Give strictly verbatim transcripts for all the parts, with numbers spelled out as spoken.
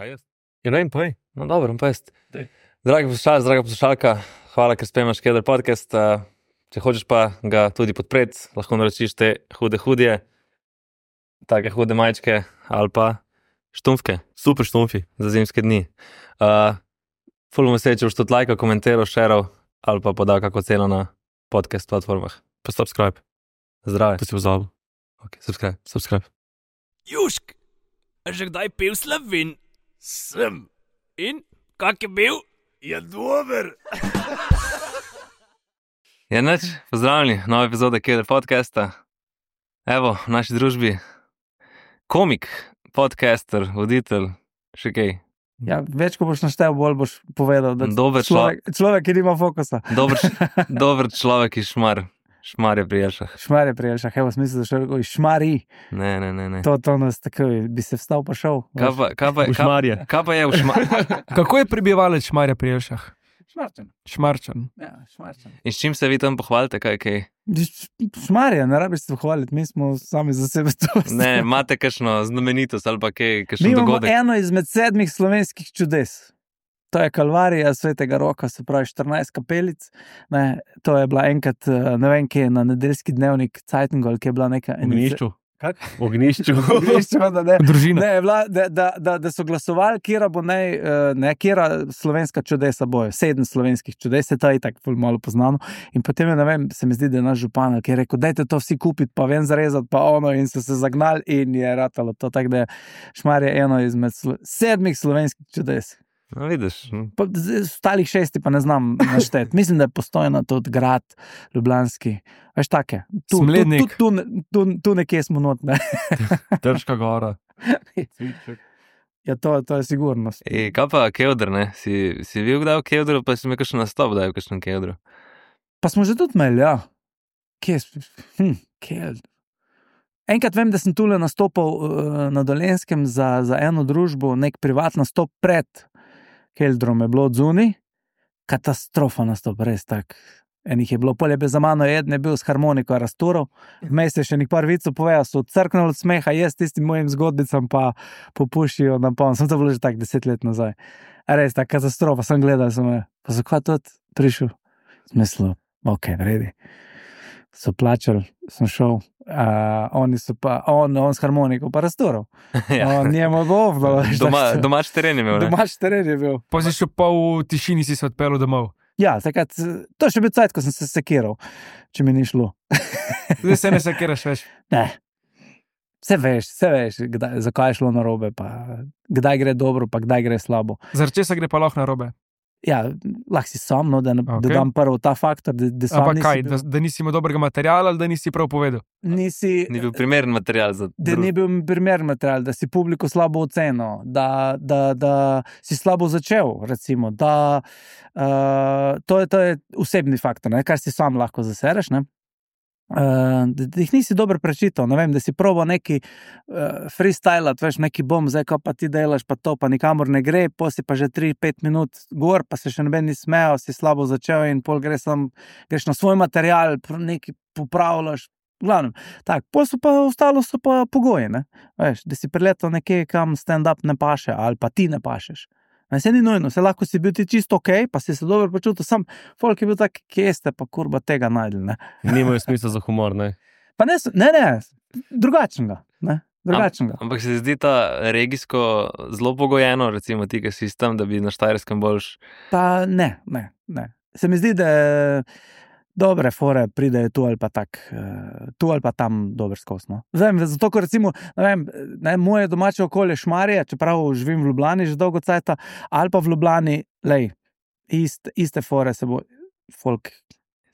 Kaj jaz? Ja, ne, povej. No, dobro, pa jaz. Dej. Dragi poslušalci, draga poslušalka, hvala, ker spremljaš Keder podcast. Uh, če hočeš pa ga tudi podpreti, lahko naročiš te hude hudje, take hude majčke ali pa štumfke Super štumfi. za zimske dni. Uh, ful bomo se, če boš tudi lajkal, komentiral, šeral ali pa podal kako ceno na podcast platformah. Pa subscribe. Zdrave. To si pozabil. Ok, subscribe. Subscribe. Južk, a že kdaj pil Slovin? Sem. In, kak je bil? Je dober. Je nič, pozdravljeni, nova epizoda Keder podcasta. Evo, v naši družbi komik, podcaster, voditelj, še kaj. Ja, več, ko boš naštel, bolj boš povedal, da Dober človek, človek, ki nima fokusa. Dober, dober človek iz Šmar, Šmarje pri Jelšah. Šmarje prijel, evo, smisel, da še rekel, šmari, Ne, ne, ne, ne. to, to nas tako, bi se vstal pa šel. Kaj pa, kaj pa, V kaj, Šmarje. kaj pa je v Šmarju? Kako je prebivalec Šmarja pri Jelšah? Šmarčan. Šmarčan. Ja, šmarčan. In s čim se vi tam pohvalite, kaj, kaj? Šmarje, ne rabiš se hvaliti, mi smo sami za sebe to. Ne, imate kakšno znamenitost ali pa kaj, Mi kakšen imamo dogodek? eno izmed sedmih slovenskih čudes. To je Kalvarija Svetega Roka, se pravi štirinajst kapelic. Ne, to je bila enkrat, ne vem, kje je na nedeljski dnevnik Cajtingu, ali kje je bila neka... V Ognišču. Kak? V Ognišču. Ognišče, da ne. Družina. Ne, je bila, da, da, da, da so glasovali, kjera bo naj, eh, ne, kjera slovenska čudesa bojo, sedem slovenskih čudes, to je tako ful malo poznano. In potem je, ne vem, se mi zdi, da je naš župan, ki je rekel, dajte to vsi kupiti, pa ven zarezati, pa ono, in so se zagnali in je ratalo to, tako da je Šmarje eno izmed slo sedmih slovenskih čudes. No, vidiš. hm. Pa, z- ostalih šesti pa ne znam našteti. Mislim, da je Postojna tudi grad ljubljanski. Veš, take. Tu, tu, tu, Smlednik. tu, tu, tu nekje smo not, ne. Trška gora. Cviček. Ja, to, to je sigurno. E, kaj pa Kevdr, ne? Si, si bil kdaj v Kevdru, pa si imel kakšen nastop, da je v kakšnem Kevdru? Pa smo že tudi imeli, ja. Kje je? Hm, kje je? Enkrat vem, da sem tule nastopal uh, na Dolenjskem za, za eno družbo, nek privat nastop pred Keldrom je bilo od zunaj. Katastrofa nastop, res tak. Enih je bilo, polje za mano, eden je bil s harmoniko raztural, vmes je še nek par vicov povedal, so odcrknili od smeha, jaz tistim mojim zgodbicam pa popušijo na polno. Sem to bilo že tak deset let nazaj. A res, tak katastrofa, sem gledal, sem je, pa zakaj tudi prišel? Smislu, ok, vredi. So plačali, sem šel, uh, oni so pa, on, on s harmoniko pa raztural. Ja. On njemu bo ovdalo. Doma, domač teren je imel, ne? Domač teren je bil. Pa si še pa v tišini si se odpeljal domov. Ja, takrat, to je še bil cajt, ko sem se sekiral, če mi ni šlo. Zdaj se ne sekiraš več. Ne. Vse veš, vse veš, kdaj, zakaj je šlo narobe, pa kdaj gre dobro, pa kdaj gre slabo. Zaradi česa gre pa lahko narobe? Ja, lahko si sam, no, da, okay. Ok. da dam prvo ta faktor, da, da sam Ampak nisi, kaj, bil, da, da nisi imel dobrega materiala ali da nisi prav povedal? nisi, Ni bil primeren material za da ni bil primeren material, da si publiko slabo ocenil, da, da, da si slabo začel, recimo, da uh, to, je, to je osebni faktor, ne, kar si sam lahko zasereš, ne. Uh, da, da jih nisi dobro prečital, ne vem, da si probal neki uh, freestylat, veš, neki bom, zdaj ko pa ti delaš, pa to, pa nikamor ne gre, pol si pa že tri pet minut gor, pa se še noben ni smejal, si slabo začel in pol gre sam, greš na svoj material, pr- nekaj popravljaš, v glavnem, tak, pol so pa, ostalo so pa pogoji, ne, veš, da si priletel nekje, kam stand-up ne paše, ali pa ti ne pašeš. Ne, se ni nujno, se lahko si bil ti čisto ok, pa si se dobro počutil, sam folk je bil tak, kje ste pa kurba tega najdli, ne. Nimajo smisla za humor, ne? Pa ne, s- ne, ne, drugačnega, ne, drugačnega. Ampak se ti zdi ta regijsko zelo pogojeno, recimo ti, ki si tam, da bi na Štajerskem boljš. Pa ne, ne, ne. Se mi zdi, da dobre fore pridejo tu ali pa tak, eh, tu ali pa tam dober skos, no. Vem, zato, ko recimo, ne vem, ne, moje domače okolje Šmarje, čeprav živim v Ljubljani že dolgo cajta, ali pa v Ljubljani, lej, ist, iste fore se bo folk,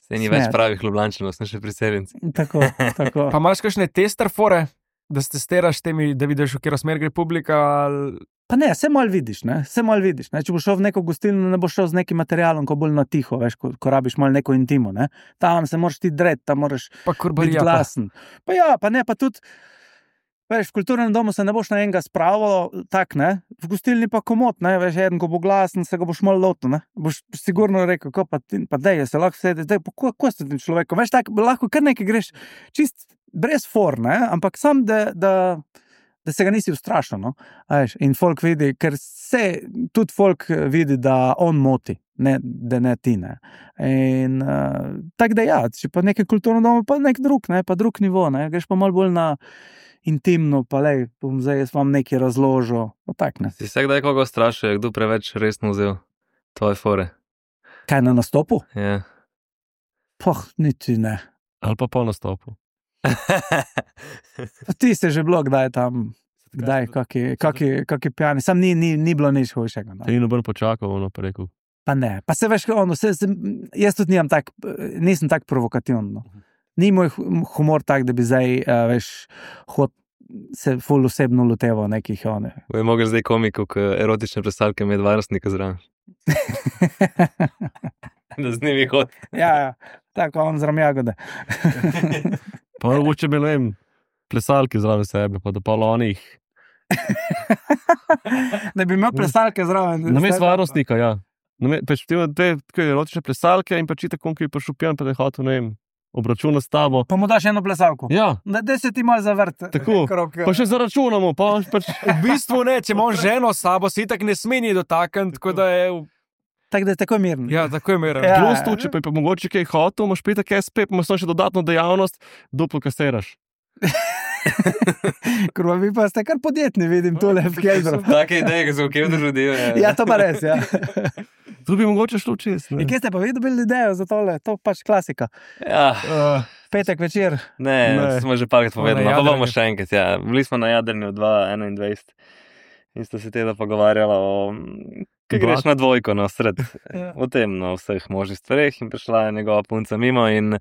Se ni Smer. več pravih Ljubljančanov, smo še priseljenci. tako, tako. Pa imaš kakšne tester fore, da se testiraš temi, da vidiš, v katero smer gre publika? Ali... Pa ne, se malo vidiš, ne, se malo vidiš, ne, če boš šel v neko gostilno, ne boš šel z nekim materialom, ko bolj na tiho, veš, ko, ko rabiš malo neko intimo, ne, tam se moraš ti dret, tam moraš Pa biti kurbarija. Pa. glasen. Pa ja, pa ne, pa tudi, veš, v kulturnem domu se ne boš na enega spravil, tak, ne, v gostilni pa komot, ne, veš, eden, ko bo glasen, se ga boš malo lotil, ne, boš sigurno rekel, ko pa ti, pa dej, se lahko sedi, dej, pa ko, ko ste tem človekom, veš, tak, lahko kar nekaj greš, čist brez for, ne, ampak sam, da, da, da se ga nisi ustrašil. No? A veš, in folk vidi, ker se tudi folk vidi, da on moti, ne, da ne ti. Ne? In uh, tako da ja, če pa nekaj kulturno domo, pa nek drug, ne? Pa drug nivo, ne? Greš pa malo bolj na intimno, pa lej, bom zdaj jaz vam nekaj razložil. Tak, ne? Si se kdaj koga strašil, kdo preveč resno vzel tvoje fore? Kaj na nastopu? Ja. Poh, niti ne. Ali pa po nastopu. Pa ti se že bilo kdaj tam, kdaj, kaki, kaki, kaki pijani, sam ni, ni, ni bilo nič hujšega. No. Te ni noben počakal, ono pa rekel. Pa ne, pa se veš, ono, se, se, jaz tudi nimam tak, nisem tak provokativen. No. Ni moj humor tak, da bi zdaj, uh, veš, hod se ful osebno loteval nekih, one. Bo je mogel zdaj komiku, k erotične predstavke med varnostnika zraven. Da z njimi hod. Ja, ja, tako on zram jagode. Pa mogoče bi, ne vem, plesalki zraven sebe, pa da pa onih. Da bi imel plesalke zraven. Namesto varnostnika, ja. Pač ti imaš dve erotične plesalke in pač itak on, ki je prišel pijan, pa da je hotel, ne vem, obračuna s tabo. Pa mu daš eno plesalko. Ja. Da, da se ti malo zavrt. Tako, krok. pa še zaračunamo, pa pač... V bistvu ne, če imaš ženo s sabo, se itak ne smeni dotakniti, tako da je... Tako da je tako mirno. Ja, tako je mirno. Ja. Plus tu, če pa je pa mogoče kaj hotel, imaš petek S P, pa imaš še dodatno dejavnost, duplo kasiraš. Kurva, vi pa ste kar podjetni, vidim tole v Keldru. Take ideje, ki so v Keldru rodil. Ja, to pa res, ja. Tu bi mogoče šlo čez. In kje ste pa vi dobili idejo za tole? To pač klasika. Ja, Uh, Petek večer. ne, Ne. to smo že parkrat povedali, Na pa bomo jadranju. še enkrat, ja. Bili smo na jadranju dva tisoč enaindvajset in sta se teda pogovarjala o, kaj greš na dvojko, no, sred, Ja. o tem, no, vseh možnih stvareh in prišla je njegova punca mimo in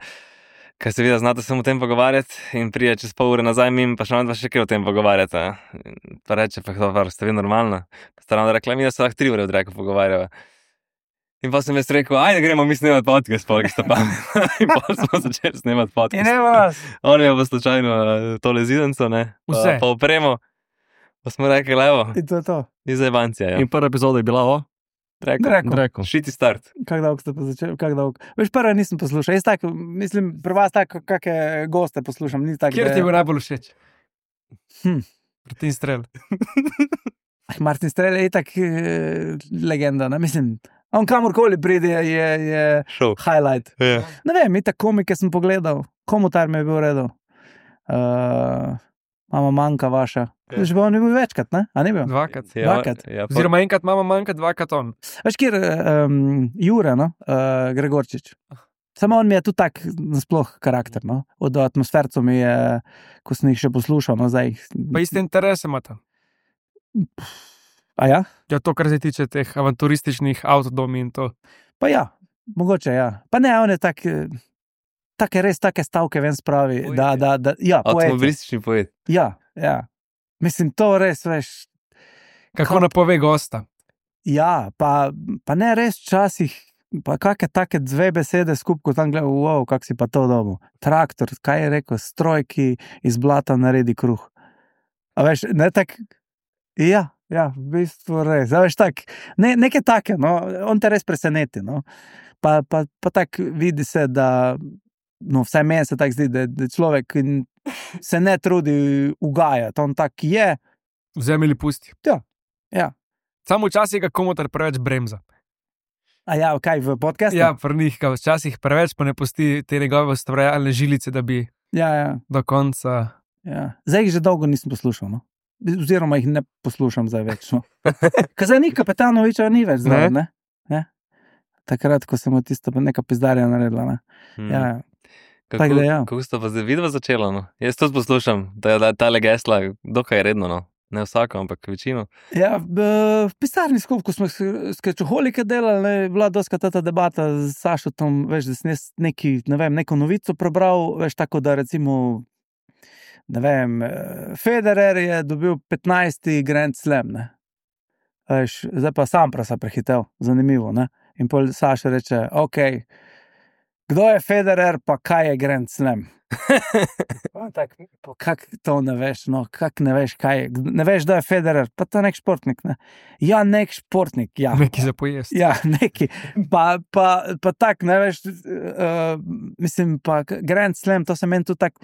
kaj se vidi, znate se o tem pogovarjati in prije čez pol ure nazaj mimo, pa še nam dva še kaj o tem pogovarjati. a. In pa reče, pa to par, ste vi normalna? Pa sta nam rekla, mi da se lahko tri ure od reko pogovarjava. In pa sem jaz rekel, ajde gremo mi snemati podcast, pa ki sta pametna. In pa smo začeli snemati In podcast. evo nas. On je pa slučajno eh, tole zidenco, ne, pa, Vse. pa opremo. Pa smo rekli, evo, In to je to. iz Evancija, ja. in prva epizoda je bila o Dreko, Dreko. Dreku. šiti start. Kak dolgo ste pa začeli? Kak dolgo? Veš, prva nisem poslušal. Jaz tako, mislim, pri vas tako, kakšne goste poslušam. Ni tako, Kjer ti je da... bil najbolj všeč? Hm. Martin Strel. Martin Strel je tak eh, legenda, ne? Mislim, on kamorkoli pride, je, je Šel. highlight. Ja. Ne vem, itak komike sem pogledal, komutar mi je bil v redu. Uh, mama manjka vaša. Ja. Že bo on je bil večkrat, ne? A ni bil? Dvakrat. Ja, Dvakrat. Ja, pa, Oziroma enkrat mama manjka, dvakrat on. Veš, kjer um, Jure, no? uh, Gregorčič. Samo on mi je tudi tak nasploh karakter, no? Od atmosfercev mi je, ko sem jih še poslušal, no zdaj. Pa iste interese imata. A ja? Ja, to, kar se tiče teh avanturističnih avtodomi in to. Pa ja, mogoče ja. Pa ne, on je tak, eh, take res take stavke ven spravi, Poet da, je. da, da, ja, poet. je. avtomobilistični poet. Ja, ja. Mislim, to res, veš, Kako napove gosta. ja, pa, pa ne res včasih, pa kakšne take dve besede skupaj, ko tam gledam, wow, kak si pa to dobil. Traktor, kaj je rekel, stroj, ki iz blata naredi kruh. A veš, ne tak, ja, ja, v bistvu res, a veš, tak, ne, neke take, no, on te res preseneti, no. Pa, pa, pa tak vidi se, da, no, vsaj meni se tak zdi, da, da človek se ne trudi ugajati, on tak je, Vzemi ali pusti. ja. Samo včasih ga komutar preveč bremza. A ja, kaj, v podcastu? Ja, pri njih ga včasih preveč, pa ne pusti te njegove ustvarjalne žilice, da bi Ja, ja. do konca. Ja. Zdaj jih že dolgo nisem poslušal, no? Oziroma jih ne poslušam zdaj več. No? Ker zdaj ni Kapetanoviča, ni več zdaj, ne? ne? Takrat, ko sem od tisto neka pizdarja naredila. Ne? Hmm. Ja, ja. Kako, tako da ja. kako sta pa zdaj vidva začela, no? Jaz tudi poslušam, da je ta legesla dokaj redno, no. Ne vsako, ampak večino. Ja, v, v pisarni skupaj, ko smo skečoholike delali, ne, je bila doska ta debata z Sašotom, veš, da sem jaz neki, ne vem, neko novico prebral, veš, tako da recimo, ne vem, Federer je dobil petnajsti Grand Slam, ne. Veš, zdaj pa Samprasa prehitel, zanimivo, ne. In pol Saša reče, ok, kdo je Federer, pa kaj je Grand Slam? Tak, kak to ne veš, no, kak ne veš, kaj je, ne veš, da je Federer, pa to je nek športnik, ne. Ja, nek športnik, ja. Nekaj za pojesti. Ja, neki, pa, pa, pa tak, ne veš, uh, mislim, pa Grand Slam, to se meni tudi tak,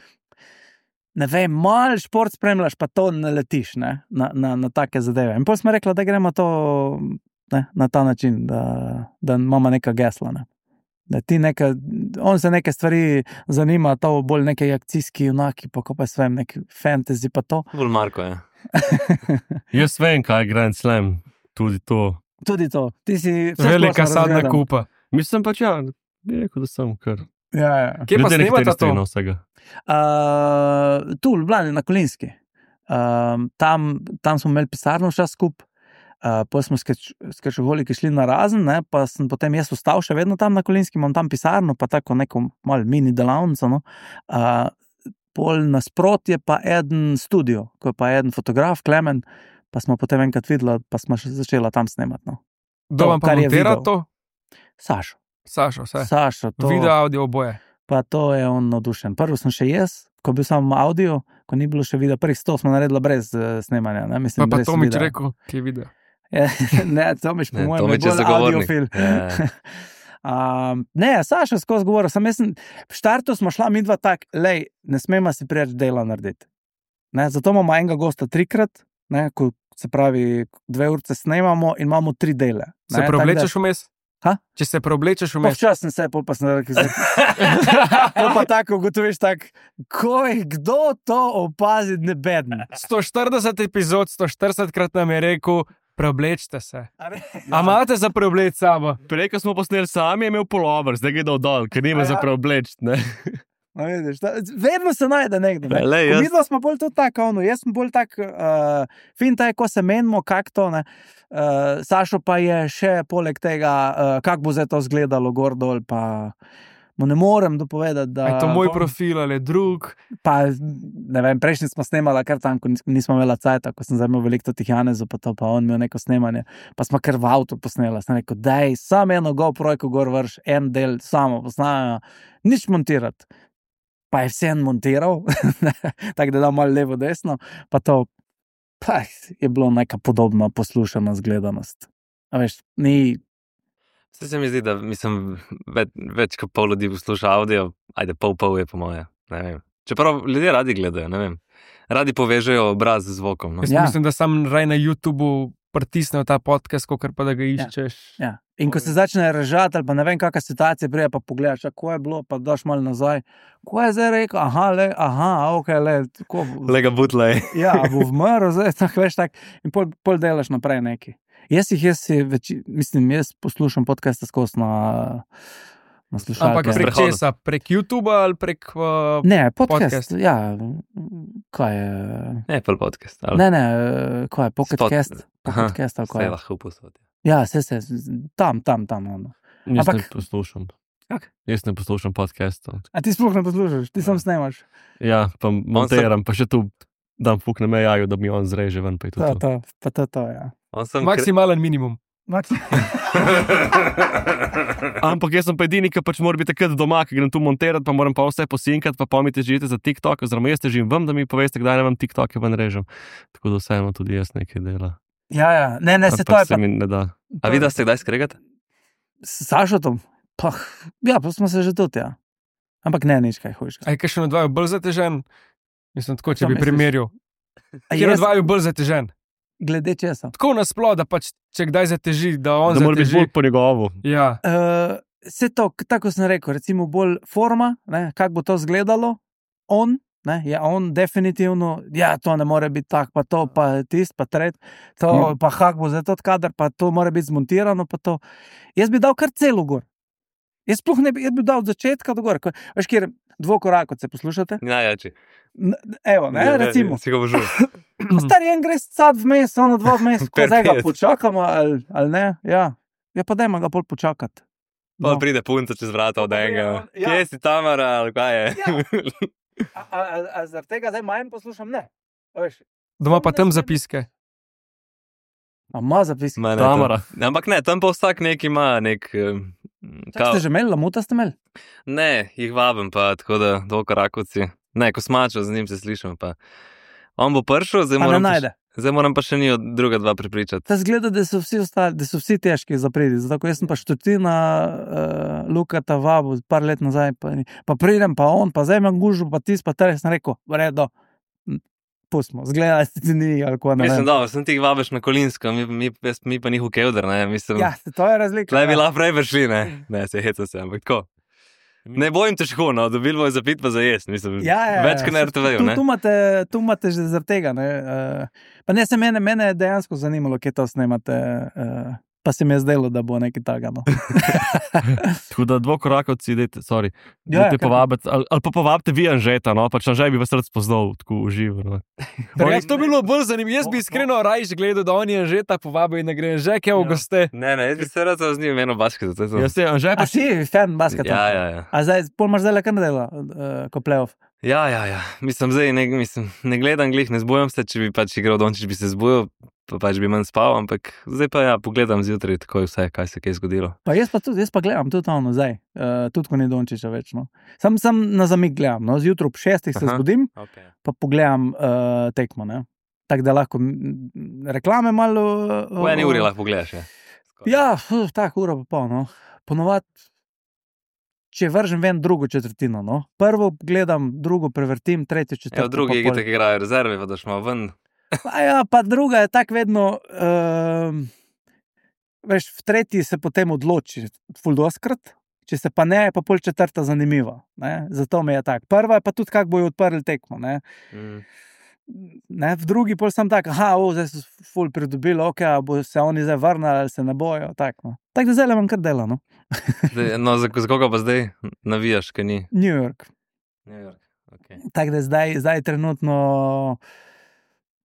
ne vem, mal šport spremljaš, pa to ne letiš, ne, na, na, na take zadeve. In potem smo rekli, da gremo to, ne, na ta način, da, da imamo neka gesla, ne. Da ti neka, on se neke stvari zanima, to bolj neki akcijski junaki, pa ko pa svem, neki fantasy, pa to. Bolj Marko, ja. Jaz vem, kaj je Grand Slam, tudi to. Tudi to. Ti si Velika sadna kupa. Mislim pač, ja, bi rekel, da sem kar. Ja, ja. Kje pa Ljudje snemata nekateri to? strinjajo vsega. Uh, tu v Ljubljani, na Kolinski. Uh, tam, tam smo imeli pisarno včas skup, uh, potem smo s Kršoholiki šli na Razen, ne, pa sem potem jaz ostal še vedno tam na Kolinski, imam tam pisarno, pa tako neko malo mini delavnico, no. Uh, pol nasprotje pa eden studio, ko je pa eden fotograf, Klemen, pa smo potem enkrat videla, pa smo še začela tam snemati, no. Kdo vam pa kar je montira video. to? Sašo. Sašo, vse. Sašo, to, Video, audio, oboje. pa to je on navdušen. Prvo sem še jaz, ko bil samo audio, ko ni bilo še video, prvih sto smo naredila brez uh, snemanja, ne, mislim, Pa pa brez Tomič videa. rekel, ki je video. Ne, Tomič, po Ne, mojem, Tomič je je bolj zagovornik. audiofil. Ja. Um, ne, Saša skozi govoril, sem jaz, sem- v štartu smo šla midva tak, lej, ne smemo si preveč dela narediti. Ne, zato imamo enega gosta trikrat, ne, ko se pravi, dve urce snemamo in imamo tri dele. Se ne, preoblečeš tako vmes? Ha? Če se preoblečeš da- Pa vmes? včasih sem se, pol pa sem rekel, zdaj. Pol pa tako ugotoviš tak, koj, kdo to opazi, ne bedne. sto štirideset epizod, sto štirideset krat nam je rekel, preoblečte se. A imate za preobleč sabo? Prej, ko smo posneli sami, je imel polover, zdaj gre dol, ker nima A za ja? preobleč, ne. No, vidiš, ta, vedno se najde nekdo. Ne? Lej, Ko jaz- midva smo bolj tudi tako, ono, jaz sem bolj tak, uh, fin taj, ko se menimo, kak to, ne. Uh, Sašo pa je še poleg tega, uh, kak bo zdaj to izgledalo gor dol, pa mu ne morem dopovedati, da... A je to moj bom- profil ali je drug? Pa, ne vem, prejšnji smo snemala kar tam, ko nis- nismo imela cajta, ko sem zdaj imel veliko tih Janezov, pa to, pa on imel neko snemanje, pa smo kar v avtu posnela, sem rekel, daj, sam eno GoPro-jko gor vrš, en del samo posnajo, nič montirati. Pa je vse en montiral, tako da da malo levo, desno, pa to, pa je bilo neka podobna poslušana zgledanost. A veš, ni, Vse se mi zdi, da mislim, več, več kot pol ljudi posluša audio, ajde pol pol je po moje, ne vem. Čeprav ljudje radi gledajo, ne vem. Radi povežejo obraz z zvokom, no. Jaz Ja. mislim, da sam raj na YouTubeu pritisnejo ta podcast, kakor pa da ga iščeš. ja. In ko se začne režati, ali pa ne vem, kakšna situacija prije, pa pogledaš, kako je bilo, pa daš malo nazaj, ko je zdaj rekel, aha, le, aha, ok, le, tako bo. Lega butlej. Ja, bo vmrl, zdaj tako veš tak, in pol, pol delaš naprej neki. Jaz jih, jaz si več, mislim, jaz poslušam podcaste skozi na, na slušalke. Ampak prek Sprehodom. česa? Prek YouTubea ali prek... Uh, Ne, podcast, podcast. ja, kaj je, Apple podcast. Ali? ne, ne, kaj je, podcast, Aha, podcast, ali kaj Vse je. lahko posodi. Ja, se, se, tam, tam, tam, ono. Jaz Ampak- ne poslušam. Kak? Jaz ne poslušam podcastov. A ti sploh ne poslušaš, ti sam snemaš. Ja, pa montiram, pa še tu dam fuk na mejaju, da mi on zreže ven, pa je to To, to. to, pa to, to, ja. On sem maksimalen minimum. Maks- Ampak jaz sem pa edini, ki pač mora biti takrat doma, ki grem tu montirati, pa moram pa vse posinkati, pa pa mi težite za TikTok, oziroma jaz težim vam, da mi poveste, kdaj ne vam TikTok ven režem. Tako da vseeno tudi jaz nekaj dela. Ja, ja, ne, ne, se to Ampak je se pa. mi ne da. A vi da ste kdaj skregate? S Sašotom, pa, ja, pa smo se že tudi, ja. Ampak ne, nič kaj hojiš. A je kakšen od vaju bolj zatežen? Mislim, tako, če Šta bi misliš? primerjal. Kjer od vaju bolj zatežen? Glede česa? Tako nasploh, da pač, če kdaj zateži, da on Da mora biti zateži. bolj po njegovo. Ja, Uh, se to, k- tako sem rekel, recimo bolj forma, ne, kako bo to izgledalo, on, ne, je on definitivno, ja, to ne more biti tako, pa to, pa tist, pa tret, to, Mm. pa hak bo zdaj to kader, pa to mora biti zmontirano, pa to. Jaz bi dal kar celo gor. Jaz sploh ne bi, jaz bi dal od začetka do gor. Ko- Veš, kjer dvokorakot se poslušate? Najjači. N- Evo, ne, Ja, ja, recimo. Si ga božul. Star en gre sad vmes, ono dva vmes, ko Per zdaj ga pet. počakamo, ali, ali ne, ja. Ja, pa dajmo ga bolj počakati. Pa pride punca čez vrata od Pa pride enega. on, ja. Kje si Tamara, ali kaj je? Ja. A, a, a, a zaradi tega zdaj manj poslušam? Ne. A Veš, doma pa tam zapiske. a ima zapis. Ma, ne, Tamara. tam- Ampak ne, tam pa vsak nek ima nek... eh, Kaj ste že imeli, lamuta ste imeli? Ne, jih vabim pa, tako da dvokorakovci. Ne, ko smačo, z njim se slišim pa. On bo prišel, zdaj A ne moram, pa, najde. še- zdaj moram pa še ni od druga dva prepričati. Ta zgleda, da so vsi ostali, da so vsi težki za pridi. Zato, ko jaz sem pa štotina uh, Lukata vabu, par let nazaj, pa, ni- pa pridem, pa on, pa zdaj imam gužu, pa tis, pa teres sem rekel, v redu, pustimo, zgleda, da ti ni ali ko ne. Mislim, vem. da sem ti vabiš na Kolinsko, mi, mi, jaz- mi pa njihov kevder, ne, mislim. Ja, to je razlika. Tle bi ja. lahko prej prišli, ne, ne, se heca se, ampak tako. Ne bojim težko, no, dobili bojo za pit pa za jesti, mislim, Ja, ja, več kot na ja. er te veju, Tu, ne. tu, imate, tu imate že zaradi tega. Ne? Uh, pa ne se mene, mene je dejansko zanimalo, kje to snemate. Uh, pa se mi je zdelo, da bo nekaj takega. No. Tako da dvokorakovci, dajte, sorry, Ja, dajte kar- povabiti, ali, ali pa povabite vi Anžeta, no, pač Anžej bi vas rad spoznal, tako uživo. No. Res to bilo bolj zanimivo. Jaz bi iskreno raje gledal, da on je že ta povabil in ne gre že kaj v goste. Ne, ne, jaz bi se rad z njim eno basketu, to je to. Jaz se Anžej A pač si fan basketa? Ja, ja, ja. A zdaj, pol imaš zdaj le kar dela, uh, ko playoff. Ja, ja, ja. Mislim, zdaj ne, mislim, ne gledam glih, ne zbujam se, če bi pač igral Dončić, bi se zbujal, pa pač bi manj spal, ampak zdaj pa ja, pogledam zjutraj tako je vse, kaj se kaj zgodilo. Pa jaz pa tudi, jaz pa gledam tudi ono zdaj, uh, tudi ko ni Dončića več. No. Sam, sam na zamik gledam, no. Zjutraj ob šestih se Aha. zbudim, Okay. pa pogledam uh, tekmo. Ne. Tako da lahko m, reklame malo. Uh, V eni uri lahko pogledaš, ja. Ja, uh, tako uro pa pol. No. Ponovadi, če vržem ven drugo četrtino. No. Prvo gledam, drugo prevrtim, tretjo četrtino. Ja, v drugi pa pol- igri igrajo rezerve, pa daš malo ven. Pa ja, pa druga je tako vedno. Uh, veš, v tretji se potem odloči, ful doskrat, če se pa ne, je pa pol četrta zanimiva. Ne? Zato mi je tako. Prva je pa tudi, kako bojo odprli tekmo. Ne? Mm. Ne? V drugi pol sem tak, aha, o, zdaj so ful pridobili, ok, a bo se oni zdaj vrnili ali se ne bojo. Tako no. Tak da zdaj le imam kar dela. No? Zdaj, no, za, za koga pa zdaj navijaš, kaj ni? New York. New York, ok. Tako da zdaj, zdaj je trenutno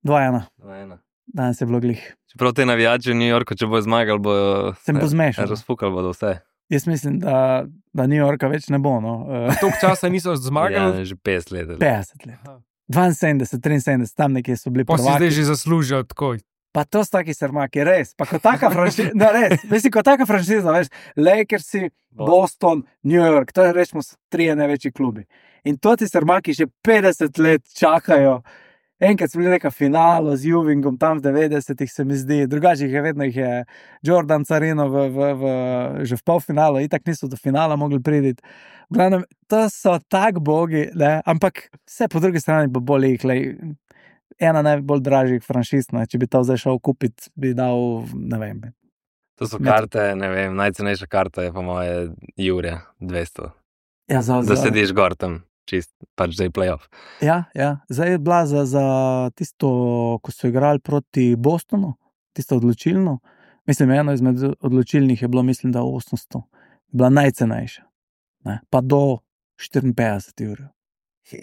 dva ena. Dva ena. Danes je bilo glih. Čeprav te navijači v New Yorku, če bojo zmagali, bojo Se bo zmešal. razfukali bodo vse. Jaz mislim, da, da New Yorka več ne bo. No? Uh, Toliko časa niso zmagali. Ja, že petdeset let. ali. petdeset let. dvainsedemdeset, triinsedemdeset, tam nekje so bili Pa si prvaki. zdaj že zaslužijo tako. Pa to so taki srmaki, res. Pa kot taka franšiza, no res, mislim, kot taka franšiza, veš, Lakersi, Boston, New York, to je rečemo trije največji klubi. In to ti srmaki že petdeset let čakajo. Enkrat smo bili neka finala z Juvingom, tam v devetdesetih se mi zdi, drugače jih je vedno jih je Jordan Carino v, v, v, že v polfinalu, itak niso do finala mogli priti. V glavnem, to so tak bogi, ne? Ampak vse po drugi strani bo bolj jih, lej, ena najbolj dražjih franšiz, ne? Če bi to zdaj šel kupiti, bi dal, ne vem. To so Med- karte, ne vem, najcenejša karta je po moje Jurja, dvesto. Ja, za, Da za, sediš gor tam, čist, pač zdaj playoff. ja, ja, zdaj je bila za, za tisto, ko so igrali proti Bostonu, tisto odločilno. Mislim, eno izmed odločilnih je bilo, mislim, da osemsto. Bila najcenejša. Ne? Pa do štiriinpetdeset evrov.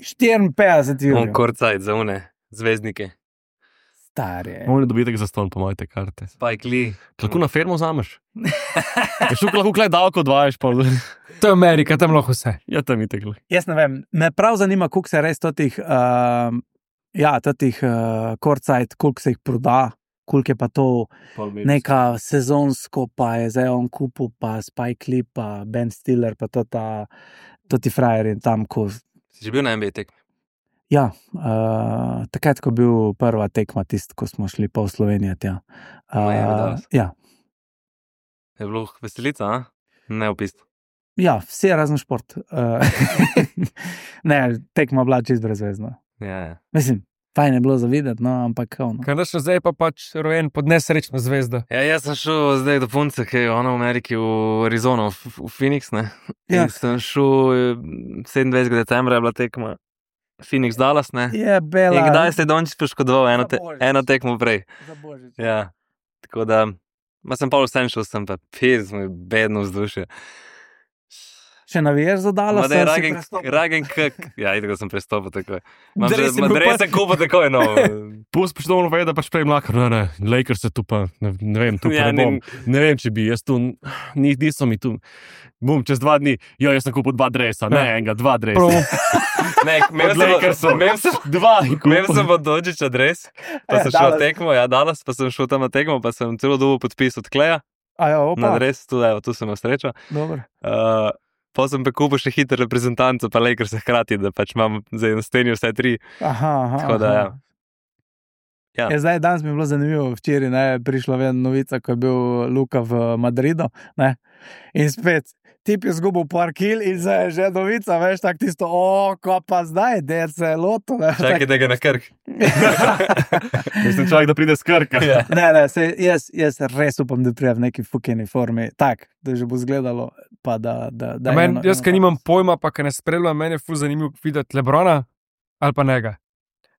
štiriinpetdeset On evrov. korcajt za une, zvezdnike. Stari. Moj dobitek za ston, po moje te karte. Spike Lee. Kako na fermo vzameš? Je šel lahko klej davko odvajaš, pa To je Amerika, tam lahko vse. ja, tam je teklo. Jaz ne vem, me prav zanima, koliko se res totih, uh, ja, totih uh, korcajt, koliko se jih proda, koliko je pa to neka sezonsko, pa je zdaj on kupil, pa Spike Lee, pa Ben Stiller, pa to ta, to ti frajeri tam, ko. Si že bil na N B A tekmi? Ja, uh, takrat, ko je bil prva tekma, tist, ko smo šli pa v Slovenijo tja. Miami Uh, Dallas. ja, Je bilo veselica, a? Ne opisno. ja, vse razen šport. Uh, ne, tekma bila čist brezvezna. Ja, ja. Mislim, fajn je bilo zavideti, no, ampak ono. Kaj naš zdaj pa pač rojen pod nesrečno zvezdo. Ja, jaz sem šel zdaj do punce, ki je ona v Ameriki, v Arizono, v, v Phoenix, ne? Ja. In sem šel eh, sedemindvajsetega decembra, je bila tekma Phoenix Dallas, ne? Je bela. In kdaj se je Dončić poškodoval, eno, te, Za Božič. eno tekmo prej. Za božič. Ja, tako da, ma sem pa vsem šel, sem pa pis, moj bedno vzdušje. Še naviješ za Dallas? Ma da je ragen, ragen kak. Ja, idem, sem prestopil takoj. Imam že, Dres je ma bil dres pa- sem kupil takoj, no. Pus poštovno ve, da pač prej mlakar, ne, ne, Lakers se tu pa, ne, ne vem, tu pa Ja, ne bom. ni- Ne vem, če bi, jaz tu, ni, niso mi tu. Bum, čez dva dni, jo, jaz sem kupil dva dresa, ne enega, dva dresa. Ne, imel Od sem, Lakersov. imel sem, Dva, imel sem od Dončića dres, pa Ja, sem šel Dallas. tekmo, ja, danes pa sem šel tam na tekmo, pa sem celo dobil podpis od Kleja Aja, na opa, dres, tu, evo, tu sem imel srečo. dobro. Uh, pa sem pa kupil še hiter reprezentanco, pa Lakers hkrati, da pač imam zdaj na steni vse tri. Aha, aha. Tako da, aha. ja. Ja. Je, zdaj, danes mi je bilo zanimivo, včeraj ne, prišla ven novica, ko je bil Luka v Madridu. Ne? In spet tip je zgubil par kil in zdaj je že novica, veš, tako tisto, o, ko pa zdaj, da se je loto. Ne, Čakaj, da ga na Krk. Mislim, čak, da pride skrka. Ja. ne, ne, se, jaz, jaz res upam, da prija v neki fukeni formi, tak, da že bo zgledalo, pa da... da, da Men, eno- jaz, eno ki faz. nimam pojma, pa ki ne spremljam, meni je ful zanimivo videti Lebrona ali pa njega.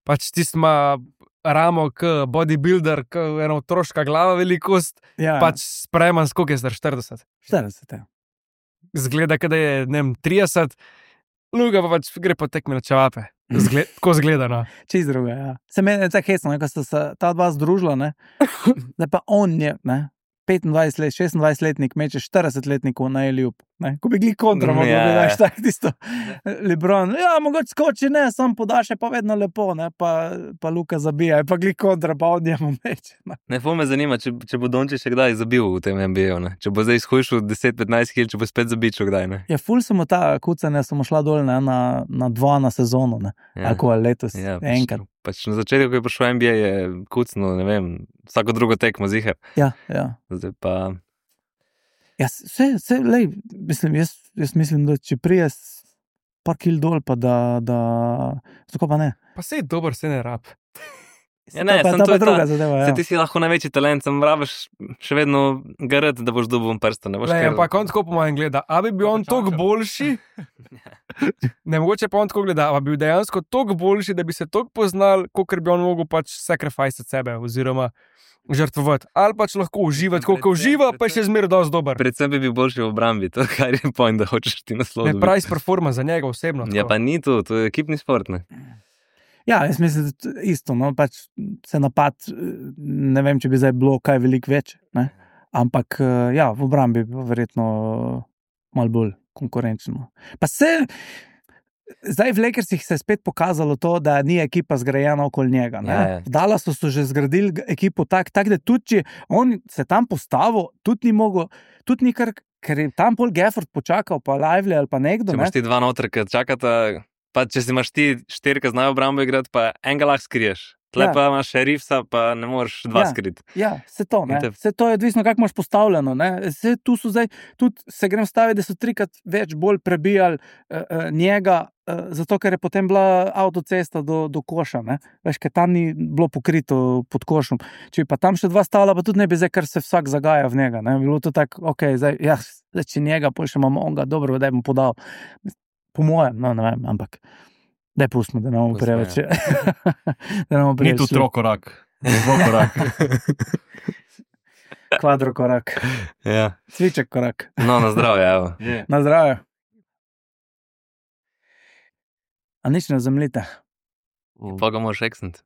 Pač tisti ima ramo, k bodybuilder, k ena otroška glava velikost, Ja, pač spreman, skoliko je zdaj štirideset. štirideset, ja. Zgleda, da je, ne vem, trideset, Luga pa pač gre po tekmi na čevape. Zgled, tako zgleda, no. Čist druga, ja. Se meni je tako hecno, ne, ko sta se ta dva združila, ne, da pa on je, ne, petindvajset let, šestindvajset letnik meče štirideset letnikov na Eliup, ne, ko bi gli kontra, Mm, mogo ja. bi daš tako tisto, Lebron, ja, mogoče skoči, ne, sam podaš je pa vedno lepo, ne, pa, pa Luka zabija, pa gli kontra, pa on njemu meče, ne. Ne, ful me zanima, če, če bo Dončić še kdaj zabil v tem N B A-ju, ne. Če bo zdaj izhujšal deset petnajst kil, če bo spet zabičal kdaj, ne. Ja, ful sem ta kucanja, sem šla dol, ne, na, na dva na sezono, ne, Ja. ako je letos, Ja, pač, enkrat. pač na začetku, ko je prišel N B A, je kucno, ne vem, vsako drugo tekmo ziher. Ja, ja. Zdaj pa... Ja, se, se, lej, mislim, jaz, jaz mislim, da če prije s par kil dol, pa da, da, zakaj pa ne? Pa sej dober, se ne rab. Ja, ne, to pa, samo to to pa je ta- druga zadeva, ja. Se ti si lahko največji talent, sem rabiš še vedno garat, da boš dobil prsta, ne boš Le, kar... ampak on tako po mojem gleda, a bi bil on toliko boljši, ne mogoče pa on tako gleda, a bi bil dejansko toliko boljši, da bi se toliko poznal, kot bi on mogel pač sacrifice od sebe, oziroma žrtvovati. Ali pač lahko uživati, koliko uživa, pa je še zmeraj dosti dober. Predvsem bi bil boljši v obrambi, to kar je point, da hočeš ti naslov. Ne dobiti. price performance za njega osebno. Ja, tako. pa ni to, to je ekipni šport, ne. Ja, jaz mislim, da t- isto, no, pač se napad, eh, ne vem, če bi zdaj bilo kaj veliko več, ne, ampak eh, ja, v obrambi bi bilo verjetno malo bolj konkurenčno. Pa se, zdaj v Lakersih se je spet pokazalo to, da ni ekipa zgrajena okoli njega, ne. Ja, ja. V Dallasu so že zgradili g- ekipo tak, tak, da tudi, če on se tam postavil, tudi ni mogel, tudi ni kar, ker je tam pol Gafford počakal, pa Lively ali pa nekdo, Če ne. imaš ti dva noter, ki čakata, pa če si imaš ti štiri, ki znajo obrambo igrati, pa enega lahko skriješ. Tle Ja. pa imaš šerifsa, pa ne moreš dva Ja. skriti. Ja, se to, ne. In te- Se to je odvisno, kako imaš postavljeno. Ne. Se tu so zdaj, tudi se grem staviti, da so trikrat več bolj prebijali uh, uh, njega, uh, zato ker je potem bila avtocesta do, do koša. Ne. Veš, ker tam ni bilo pokrito pod košom. Če bi pa tam še dva stavila, pa tudi ne bi zdaj, ker se vsak zagaja v njega. Ne. Bi bilo to tako, ok, zdaj, ja, zdaj če njega, pa še imamo onga, dobro, da bom podal. Po mojem, no, ne vem, ampak. Daj pustimo, da ne bomo Pustimo, preveč. Da ne bomo Ni preveč. tu trokorak. Dvokorak. Kvadrokorak, Ja. cviček korak. No, na zdravje, evo. Na zdravje. A nič ne zamlite. Pa ga moraš eksniti.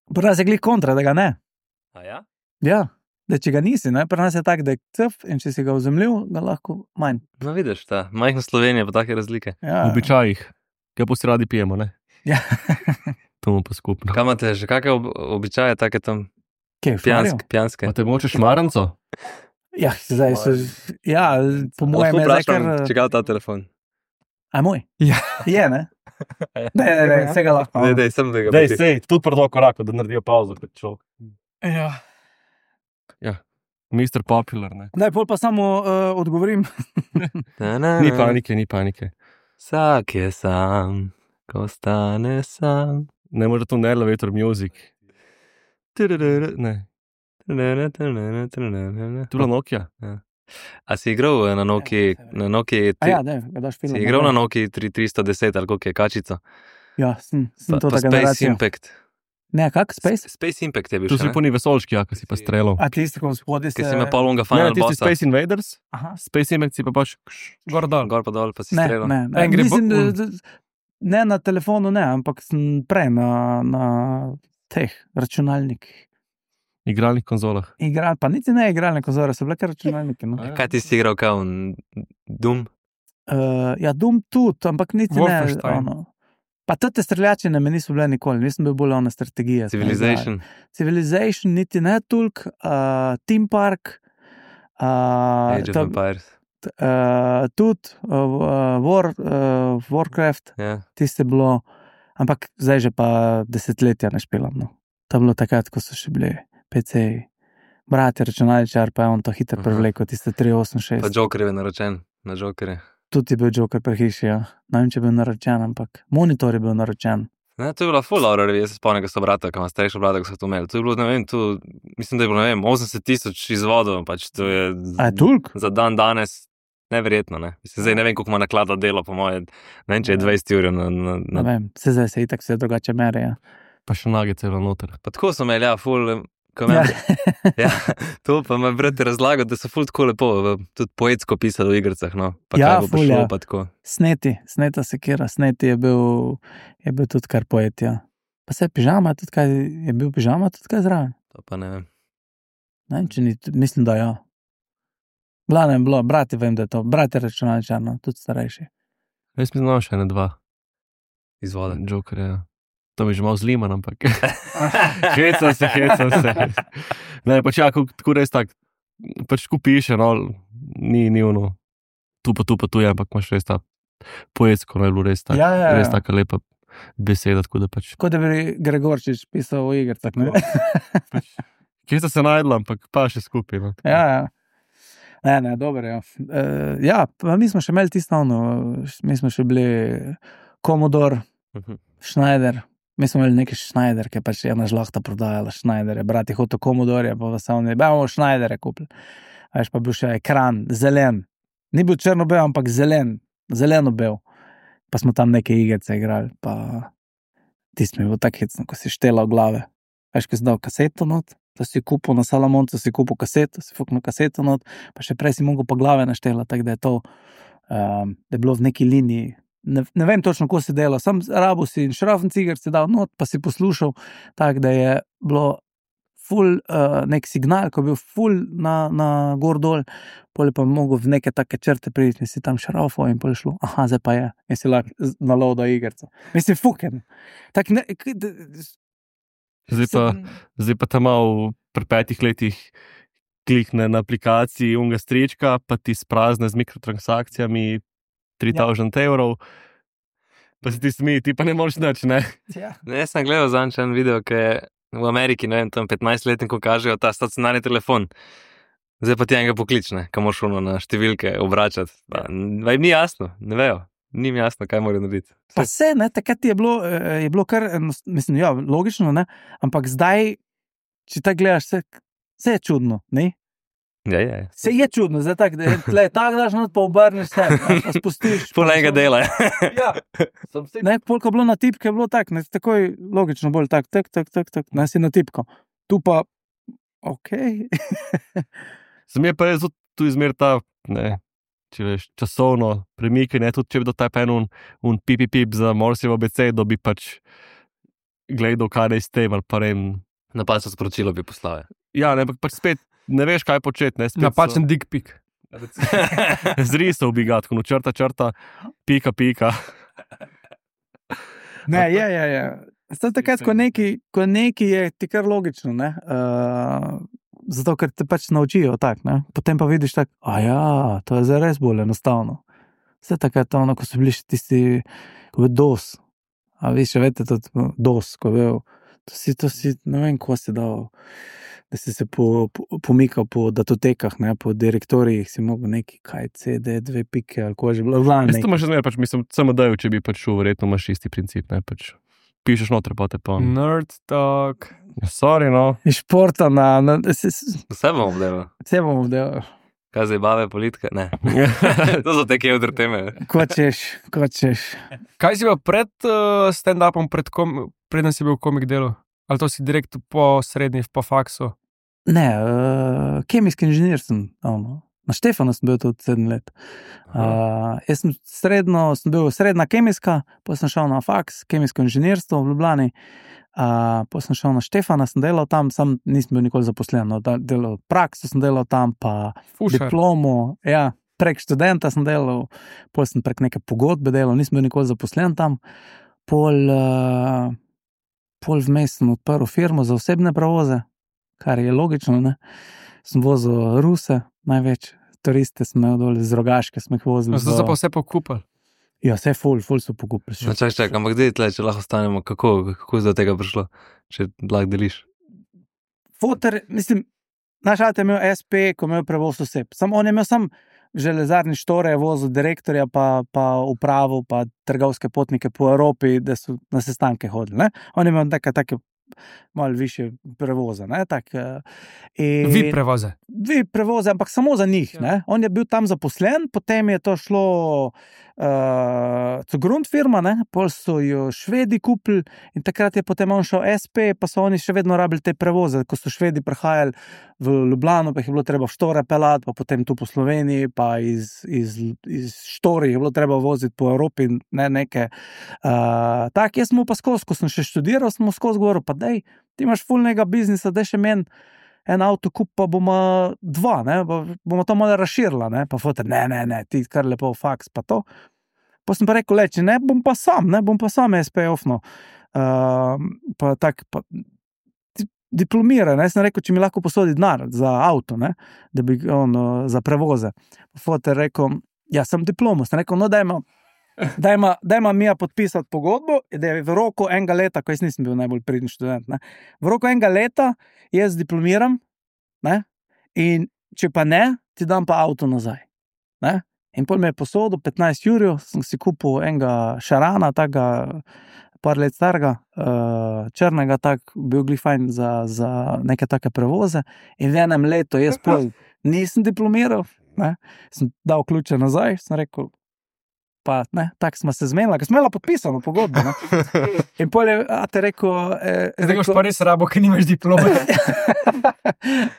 Pri nas je glih kontra, da ga ne. A ja? Ja, da če ga nisi, ne? Pri nas je tak, da je cf in če si ga vzemljiv, ga lahko manj. No, vidiš, ta majhna Slovenija, pa take razlike. Ja, V običajih, kaj pa si radi pijemo, ne? Ja. To mu pa skupno. Kaj imate že, kakšne ob običaje, take tam Kje, pijanske? pijanske? Pa te moče šmaranco? Ja, zdaj so, ja, po mojem Lahko je zdaj vprašam, kar... če ga ta telefon. A moj? Ja. Je, ne? Ne, ne, ne, vsega lahko. Ne, dej, sem da ga Dej, poti. sej, tudi pri dvokoraku, da naredijo pauzo, kot človek. Ja. mister Popular, ne? Daj, pol pa samo uh, odgovorim. Na, na, Ni na. panike, ni panike. Vsak je sam, ko stane sam. Ne more to ne elevator music. Tudururu. Ne, Tudururu, tudururu, tudururu. tu je Nokia. A si igral na Nokia, na Nokia, A ja, daj, ga daš film. si igral na Nokia tri tristo deset ali koliko je kačico? Ja, sem, sem Pa, to pa ta Space generacija. Impact. Ne, kak, Space? Space Impact je bil Tu še, si ne? po ni vesolški, ja, ki si pa streljal. A tisti, ko spodaj se... Ki si me polunga Ne, Final ti si Bossa. Space Invaders, Aha. Space Impact si pa pač... Gor dol. Gor pa dol, pa si Ne, streljal. ne, ne. Angry Mislim, Bo- da, da, ne na telefonu, ne, ampak sem prej na, na teh računalnikih. Igralnih konzolah. Igral, pa niti ne igralne konzole, so bile kar računalniki. No. Kaj ti si igral, kao Doom? Uh, ja, Doom tudi, ampak niti Wolfenstein. ne. Ono. Pa te streljačine me niso bile nikoli, nisem bil bolj ona strategija. Civilization. Civilization, niti ne toliko, uh, Team Park, uh, Age of Empires. uh, tudi uh, War, uh, Warcraft, Ja. tiste bilo, ampak zdaj že pa desetletja ne špilam. No. To je bilo takrat, ko so še bili P C-ji. Brat je računalničar, pa je on to hitro Aha. prevlekel, tiste tri osem šest. Pa Joker je naročen. na Jokerje. Tudi je bil Joker pri hiši, ja. Ne vem, če je bil naročen, ampak monitor je bil naročen. Ne, to je bila full horror revija, jaz se spomnim, ko so brata, ko ima starejša brata, ko so to imeli. To je bilo, ne vem, tu, mislim, da je bilo, ne vem, osemdeset tisoč izvodov, pač to je A je toliko? za dan danes neverjetno, ne. Mislim, zdaj ne vem, koliko ima naklada delo, po moje, ne vem, če je dvajset ur na, na, Ne na... vem, se zdaj se itak vse drugače mere, ja. Pa še nage celo noter. Pa tako so imeli, ja, full, ko Ja. imam, ja, to pa me brat razlagal, da so ful tako lepo, v- tudi poetsko pisali v igricah, no. Pa Ja, kaj bo ful, prišlo, ja. pa tako. Sneti, sneta sekira, sneti je bil, je bil tudi kar poet, ja. Pa se je pižama, tudi kaj, je bil pižama tudi kaj zraven. To pa ne vem. Ne vem, če ni, mislim, da ja. Glavno je bilo, brati vem, da je to, brati računalničar, no, tudi starejši. Jaz mislim, da imam še ene dva Izvode. Jokerja. To mi je že malo zliman, ampak hecam se, hecam se. Ne, pač ja, ko- tako res tak, pač ko piše, no, ni, ni ono, tu pa tu pa tu je, ampak imaš res ta poetsko, no, je bilo res tak, Ja, ja, ja. res taka lepa beseda, tako da pač, Kot da bi Gregorčič pisal v igricah, ne? pač kje sta se najdla, ampak pa še skupaj, no. Ja, ja. Ne, ne, dobro, ja. Uh, ja, pa mi smo še imeli tisto, ono, mi smo še bili Commodore, Mhm. Schneider, mi smo imeli neki Schneider, ki je pač ena žlahta prodajala Schneider, brati hotel Commodore, pa vas oni, bomo Schneidere kupili. A veš, pa bil še ekran, zelen, ni bil črno-bel, ampak zelen, zeleno-bel. Pa smo tam neke igrice igrali, pa tisti mi je bil tak hecno, ko si štela v glave. Veš, ko si dal kaseto not, da si kupil na Salamoncu, si kupil kaseto, si fuknil kaseto not, pa še prej si mogel pa glave naštela, tako da je to, um, da je bilo v neki liniji. Ne, ne vem točno, ko si delal, sam rabo si in šrafen cigar si dal not, pa si poslušal, tako da je bilo ful uh, nek signal, ko je bil ful na, na gor dol, pol je pa mogel v neke take črte priti, in si tam šrafo in pol je šlo, aha, zdaj pa je, in si lahko z- naloadal igrca. Mislim, fuken. Tak ne, k- d- Zdaj pa, zdaj pa tam malo pri petih letih klikne na aplikaciji unga strička, pa ti sprazne z mikrotransakcijami tri tisoč evrov, pa si ti smiji, ti pa ne moreš nič, ne? Ja. Ne, jaz sem gledal zanj en video, ki je v Ameriki, ne vem, tam petnajstletniku kažejo ta stacionarni telefon. Zdaj pa ti enega poklične, kam moraš ono na številke obračati. Pa, ja. Ni jasno, ne vejo. Ni mi jasno, kaj morajo narediti. Pa se, ne, takrat je bilo, eh, je bilo kar, enos- mislim, ja, logično, ne, ampak zdaj, če tako gledaš, se, se je čudno, ne? Ja, ja, ja. Se je čudno, zdaj tako, da je tle, tako daš not, pa obrneš se, ne, pa spustiš. Pol enega dela. Ja. Ne, polk je bilo na tipke, je bilo tako, ne, takoj logično bolj tak, tak, tak, tak, tak, ne, si na tipko. Tu pa, okej. Za me pa je zelo tu izmer ta, ne, če veš, časovno premikanje, tudi če bi dotaj pa en un, un pip, pip za Morsejevo abecedo, bi pač gledal, kaj naj s tem, ali pa ne vem. Napačno sporočilo bi poslal. Ja, ne, ampak pač spet ne veš, kaj početi, ne, spet Napačen dick pic. zrisal bi ga, tako no, črta, črta, pika, pika. Ne, je, je, je. Zato takrat, ko neki, ko neki je ti kar logično, ne, uh, zato, ker te pač naučijo tak, ne, potem pa vidiš tak, a ja, to je zdaj res bolj enostavno. Vse takrat, ono, ko so bili še tisti, ko je bil dos, a vi še veste, tudi dos, ko je bil, to si, to si, ne vem, ko si dal, da si se po, po, pomikal po datotekah, ne, po direktorijih, si mogel neki, kaj, C D, dve pike, ali ko je že bilo, glavno Jaz to imaš še zmer, pač mislim, samo da če bi pač šel, verjetno imaš isti princip, ne, pač pišeš noter, pa te pa. Nerd talk. Ja, sorry, no. iz športa na, na se, se, Vse bom obdelal. se bomo delali. Kaj zdaj bave politika? Ne. To so te kevdr teme. Ko češ, ko češ. Kaj si bil pred uh, stand-upom, pred kom, preden si bil v komik delu? Ali to si direkt po srednji, po faksu? Ne, uh, kemijski inženir sem. Ono. Na Štefanu sem bil tudi sedem let. Uh, jaz sem srednjo, sem bil srednja kemijska, potem sem šel na faks, kemijsko inženirstvo v Ljubljani, uh, potem sem šel na Štefana, sem delal tam, sam nisem bil nikoli zaposlen. No, da- delal prakso sem delal tam, pa Fušar. diplomo, ja, prek študenta sem delal, pol sem prek neke pogodbe delal, nisem bil nikoli zaposlen tam, pol, uh, pol vmes sem odprl firmo za osebne prevoze, kar je logično, ne. Sem vozil Ruse, največ turiste sem imel dol iz Rogaške, smo jih vozili. Zdaj so pa vse pokupili. Ja, vse ful, ful so pokupili. No, čak, čak, ampak gdje tle, če lahko ostanemo, kako, kako je do tega prišlo, če lahko deliš? Foter, mislim, naš ate je imel S P, ko je imel prevoz oseb. Sam on je imel sam, železarni štore je vozil direktorja, pa, pa upravo, pa trgovske potnike po Evropi, da so na sestanke hodili. Ne? On ima neke take malo više prevoze. Ne? Tak, in, Vi prevoze. Vi prevoze, ampak samo za njih. Ne? On je bil tam zaposlen, potem je to šlo uh, Zugrund firma, ne? Pol so jo Švedi kupili in takrat je potem on šel S P, pa so oni še vedno rabili te prevoze. Ko so Švedi prihajali v Ljubljano, pa jih je bilo treba v Štore pelati, pa potem tu po Sloveniji, pa iz, iz, iz Štori je bilo treba voziti po Evropi, ne neke. Uh, tak, jaz sem pa skozi, ko sem še študiral, sem skozi govoril, pa dej, ti imaš fulnega biznisa, dej še meni en avto kup, pa bomo dva, ne, bomo to malo razširila, ne, pa foter, ne, ne, ne, ti kar lepo faks, pa to. Pa sem pa rekel, leči, ne, bom pa sam, ne, bom pa sam S P ofno. Uh, pa tak, pa diplomira, ne, sem rekel, če mi lahko posodi denar za avto, ne, da bi on za prevoze. Foter rekel, ja, sem diplomo, sem rekel, no, dajmo, dajmo, dajmo mi podpisati pogodbo, da je v roku enega leta, ko jaz nisem bil najbolj pridni študent, ne, v roku enega leta jaz diplomiram, ne, in če pa ne, ti dam pa avto nazaj, ne. In pol me je posodil petnajst jurjev, sem si kupil enega šarana, takega par let starega, uh, črnega, tak, bil glih fajn za, za neke take prevoze. In v enem letu jaz pol nisem diplomiral, ne, sem dal ključe nazaj, sem rekel, pa ne, tako smo se zmenila, ker smo imela podpisano pogodbo, ne. In pol je, a te rekel... Eh, Zdaj boš pa res rabo, ker nimaš diplome.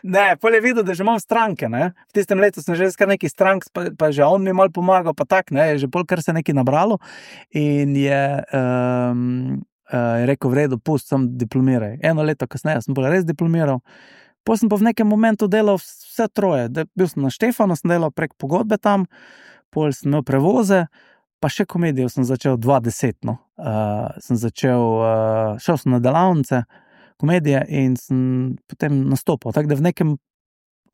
Ne, pol je videl, da že imam stranke, ne. V tistem letu sem že kar neki strank, pa, pa že on mi malo pomagal, pa tak, ne, je že pol kar se neki nabralo. In je, um, uh, je rekel, v redu, pust, sem diplomiraj. Eno leto kasneje sem bolj res diplomiral. Pol sem pa v nekem momentu delal vse troje. De, bil sem na Štefanu, sem delal prek pogodbe tam, pol sem imel prevoze, pa še komedijo sem začel dva deset, no. Uh, sem začel, uh, šel sem na delavnice komedije in sem potem nastopil. Tako da v nekem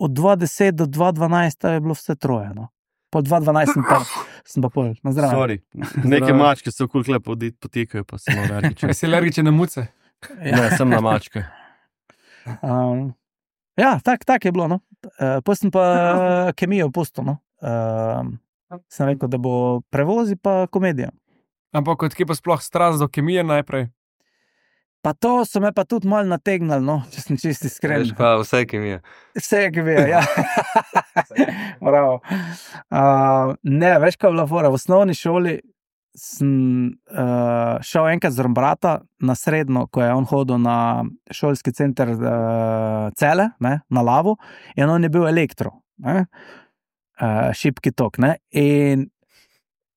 od dva deset do dva dvanajst je bilo vse troje, no. Po dva dvanajst sem pa, sem pa pol, na zdravje. Sorry, neke mačke se okoli klepo potekajo, pa sem alergičen. Si alergičen na muce? Ne, sem na mačke. Um, ja, tak, tak je bilo, no. Uh, pa sem pa kemijo pustil, no. Uh, sem rekel, da bo prevozi pa komedija. Ampak odkje pa sploh strast do kemije najprej? Pa to so me pa tudi malo nategnali, no, če sem čisti iskren. Veš pa vse kemija. Vse kemija, ja. Bravo. Uh, ne, veš, kaj je bila fora. V osnovni šoli sem uh, šel enkrat z brata na srednjo, ko je on hodil na šolski center uh, Cele, ne, na Lavu, in on je bil elektro, ne. Uh, šipki tok, ne, in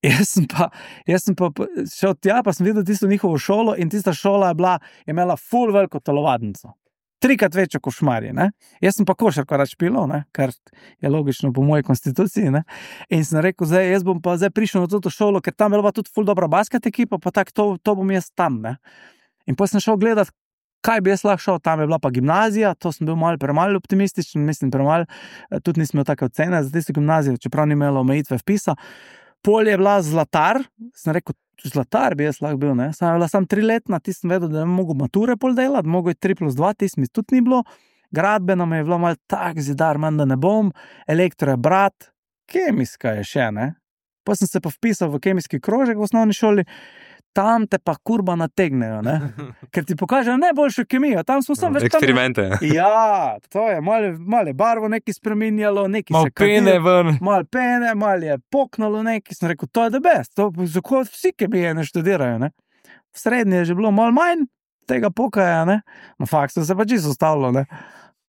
jaz sem pa, jaz sem pa šel tja, pa sem videl tisto njihovo šolo in tista šola je bila, je imela ful veliko telovadnico. Trikrat večjo kot Šmarje, ne. Jaz sem pa košarko rad špilal, ne, kar je logično po moji konstituciji, ne. In sem rekel, zdaj, jaz bom pa zdaj prišel na to šolo, ker tam je bila tudi ful dobra basket ekipa, pa tako, to, to bom jaz tam, ne. In potem sem šel gledat, kaj bi jaz lahko šel, tam je bila pa gimnazija, to sem bil malo premalo optimističen, mislim premalo, tudi nisem imel take ocene za tisto gimnazijo, čeprav ni imelo omejitve vpisa. Pol je bila Zlatar, sem rekel, Zlatar bi jaz lahko bil, ne, sem bila sam triletna, ti sem vedel, da ne mogo mature pol delati, mogo je tri plus dva, tisti mi tudi ni bilo, gradbena mi je bilo malo tak zidar, manj da ne bom, elektro je brat, kemijska je še, ne. Pa sem se pa vpisal v kemijski krožek v osnovni šoli, tam te pa kurba nategnejo, ne? Ker ti pokažejo najboljšo kemijo, tam smo sam več... Eksperimente. Tam... Ja, to je, malo, malo je barvo neki spreminjalo, neki mal se pene ven. Malo pene, malo je poknalo neki, sem rekel, to je the best, to zakaj vsi kemije ne študirajo, ne? V srednji je že bilo malo manj tega pokaja, ne? Na faksu se pa čisto stavilo, ne?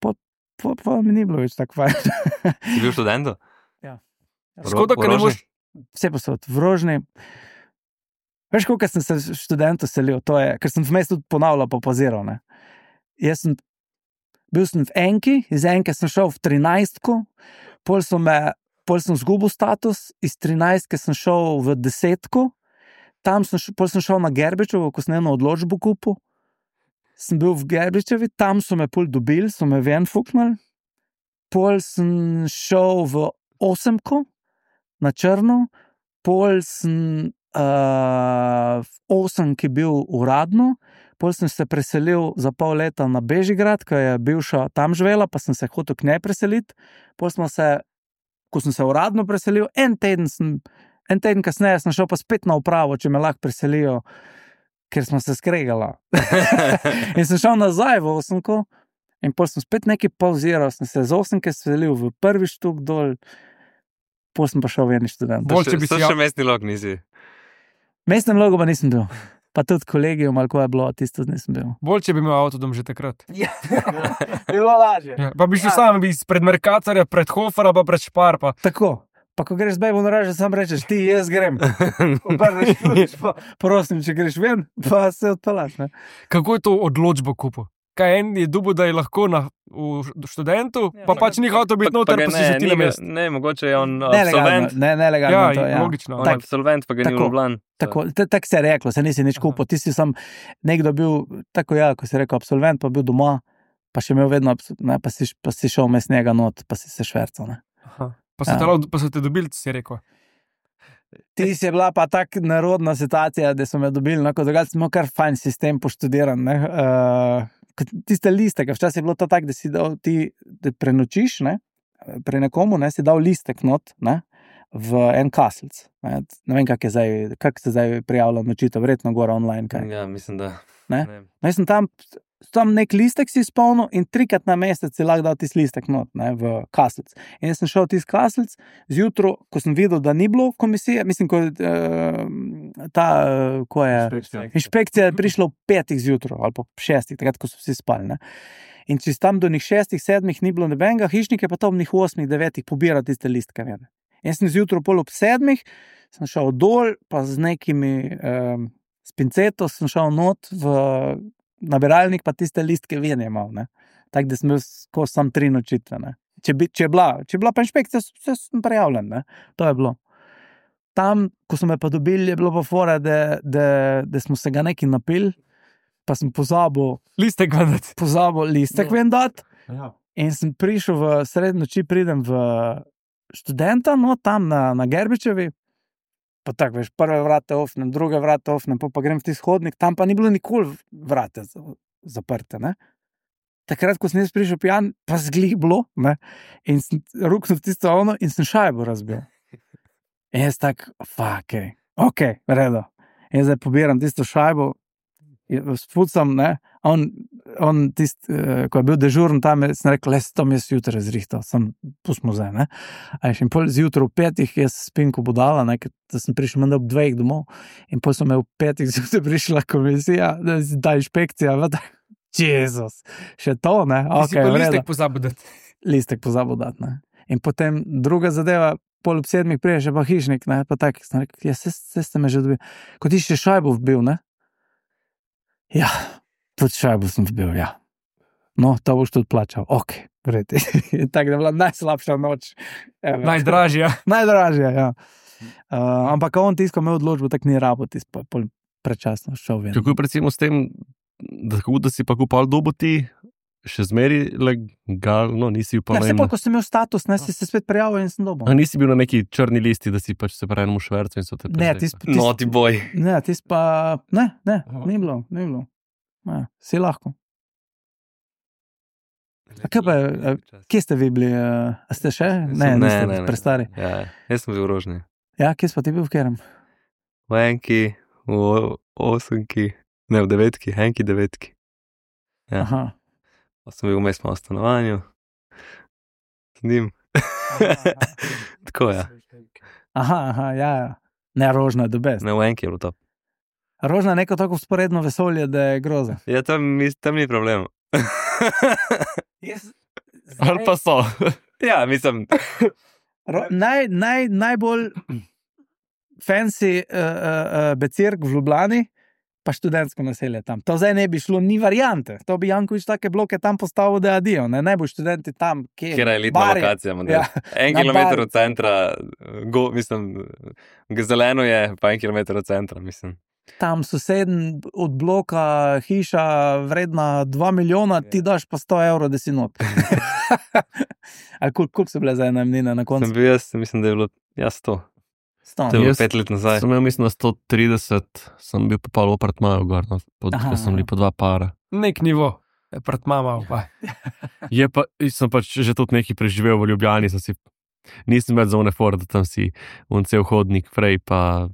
Pa, pa, pa mi ni bilo več tako fajn. Si bil študento? Ja. Škoda, ker ne boš... Vse posod, v Rožni. Veš, koliko sem se študentu selil, to je, ker sem vmes tudi ponavljal pa poziral, ne. Jaz sem, bil sem v enki, iz enke sem šel v trinajstko, pol sem me, pol sem zgubil status, iz trinajstke sem šel v desetko, tam sem, pol sem šel na Gerbičevo, ko sem eno odločbo kupil, sem bil v Gerbičevi, tam so me pol dobili, so me ven fuknali, pol sem šel v osemko, na črno, pol sem Uh, v osemki bil uradno, pol sem se preselil za pol leta na Bežigrad, ko je bivša tam živela, pa sem se hotel k njej preseliti, pol smo se ko sem se uradno preselil, en teden, sem, en teden kasneje sem šel pa spet na upravo, če me lahko preselijo, ker smo se skregala. In sem šel nazaj v Osemko in pol sem spet nekaj pauziral, sem se z Osemke selil v prvi štuk dol, pol sem pa šel v eni študent. Bolj, če bi To si še mestni log nisi. Mestnem logo pa nisem bil. Pa tudi kolegijum, ali ko je bilo, tisto nisem bil. Bolj, če bi imel avtodom že takrat. Ja, bilo lažje. Ja, pa bi šel sam bi pred Mercatorja, pred Hofera, pa pred Špar. Pa. Tako. Pa ko greš z bejbo na raže, sam rečeš, ti, jaz grem. Obrneš ključ, pa prosim, če greš ven, pa se odpelaš. Ne? Kako je to odločbo kupil? Kaj en je dubo, da je lahko na, v študentu, pa pač ni hotel biti noter, pa si že ti na mestu. Ne, mogoče je on Nelegalno, absolvent. ne, nelegalno. Ja, to, ja. logično. On je Tak- absolvent, pa ga ni v tako. Ljubljani. Tako, tako se je reklo, se nisi nič kupil, ti si sam nekdo bil, tako ja, ko si rekel absolvent, pa bil doma, pa še imel vedno, abs- ne, pa, si, pa si šel mes njega not, pa si se švercal. Ne. Aha. Pa so, Ja. te, lao- pa so te dobili, si rekel. Ti si bila pa tako narodna situacija, da so me dobili, no, kot drugače smo kar fajn sistem poštudiran. Ne. Uh, kot tiste listek, včasih je bilo to tako, da si dal ti, da prenočiš, ne, pri nekomu, ne, si dal listek not, ne, v en kaselc. Ne, ne vem, kak je zdaj, kak se zdaj prijavlja nočitev, verjetno gora online, kaj. Ja, mislim, da. Ne? No, jaz sem tam, tam nek listek si izpolnil in trikrat na mesec si lahko dal tisti listek not, ne, v kaselc. In jaz sem šel v tisti kaselc, zjutro, ko sem videl, da ni bilo komisije, mislim, ko uh, ta, uh, ko je inšpekcija je prišla v petih zjutro ali pa v šestih, takrat, ko so vsi spali. Ne. In če si tam do njih šestih, sedmih ni bilo nobenega, hišnik je pa to v njih osmih, devetih pobira tiste listke. Vede. Jaz sem zjutro pol ob sedmih, sem šel dol, pa z nekimi um, s pinceto sem šel not v nabiralnik, pa tiste listke ven je imel. Tako da sem bil skozi sam tri nočitve. Ne. Če, bi, če, je bila, če je bila pa inšpekcija, vse sem prijavljen. Ne. To je bilo. Tam, ko so me pa dobili, je bilo pa fora, da, da, da smo se ga nekaj napili, pa sem pozabil, Listek vedeti. pozabil listek ven dati. Ja. In sem prišel v srednjo noči, pridem v študenta, no, tam na, na Gerbičevi, pa tako, veš, prve vrate ofnem, druge vrate ofnem, pa, pa grem v tisti hodnik, tam pa ni bilo nikoli vrate zaprte, ne. Takrat, ko sem jaz prišel pijan, pa zglih bilo, ne, in sem ruknil v tisto ono in sem šajbo razbil. In jaz tak, fuck, okay, ok, redo. In zdaj pobiram tisto šajbo, spucam, ne, on, on tist, uh, ko je bil dežuren tam, sem rekel, le, to mi jaz jutra zrihtal, sem pustimo zdaj, ne. A in pol zjutraj v petih jaz spim, ko budala, ne, ker da sem prišel menda ob dveh domov in pol so me v petih zjutraj prišla komisija, da da inšpekcija, vada, Jezus, še to, ne, Ti si ok, pa v redu. listek pozabil dati. Listek pozabil dati, ne. In potem druga zadeva, pol ob sedmih prije še pa hišnik, ne, pa tak, sem rekel, ja, se, se ste me že dobil. Ko ti še šajbo vbil, ne? Ja, tudi šajbo sem vbil, ja. No, to boš tudi plačal, ok, vredi. Tako da je bila najslabša noč. Ever. Najdražja. Najdražja, ja. Uh, ampak on tisko imel odločbo, tako ni rabo, tis pa pol prečasno šel ven. Kako je recimo s tem, da, kako, da si pa kupal dobo ti, še zmeri legalno, nisi upal. Ja, se pa, ko sem imel status, ne, si se spet prijavil in sem dobil. A nisi bil na neki črni listi, da si pač se pravi enemu švercu in so te Ne, prezreli? tis, tis, Naughty boy. ne, tis pa, ne, ne, Aha. ni bilo, ni bilo. Ja, si lahko. A kaj pa, a, kje ste vi bili? A ste še? Ne, Sem- niste, ne, ne, ne. prestari. Ja, jaz sem bil v Rožni. Ja, kje si pa ti bil v kerem? V enki, v osemki, ne v devetki, enki devetki. Ja. Aha. Pa sem bil vmes malo v stanovanju. Z njim. Tako ja. Aha, aha, ja, ja. Ne, Rožna je dobest. Ne, v enki je bilo to. Rožna je neko tako sporedno vesolje, da je groza. Ja, tam, mis- tam ni problem. Jaz, Ali pa so. Ja, mislim, Ro, naj, naj, najbolj fancy uh, uh, uh, becirk v Ljubljani, pa študentsko naselje tam. To zdaj ne bi šlo, ni variante. To bi Jankovič take bloke tam postavil, da adijo. Ne, ne bo študenti tam, kje kjer je elitna Barje. lokacija. Ja, En na kilometer Barju. od centra, go, mislim, zeleno je, pa en kilometer od centra, mislim. Tam soseden od bloka hiša vredna dva milijona, ti daš pa sto evrov, da si not. Ali koliko kul so bile zdaj najemnine na Sem koncu? bil jaz, mislim, da je bilo, ja, sto. sto. To je bilo Jaz pet let nazaj. Sem imel, mislim, na sto trideset, sem bil popal v apartmaju gor, no, pod, Aha, ko sem bili aha. po dva para. Nek nivo. Pred mama, pa. Je pa, sem pač že tudi nekaj preživel v Ljubljani, sem si nisem več za unifor, da tam si un cel hodnik prej, pa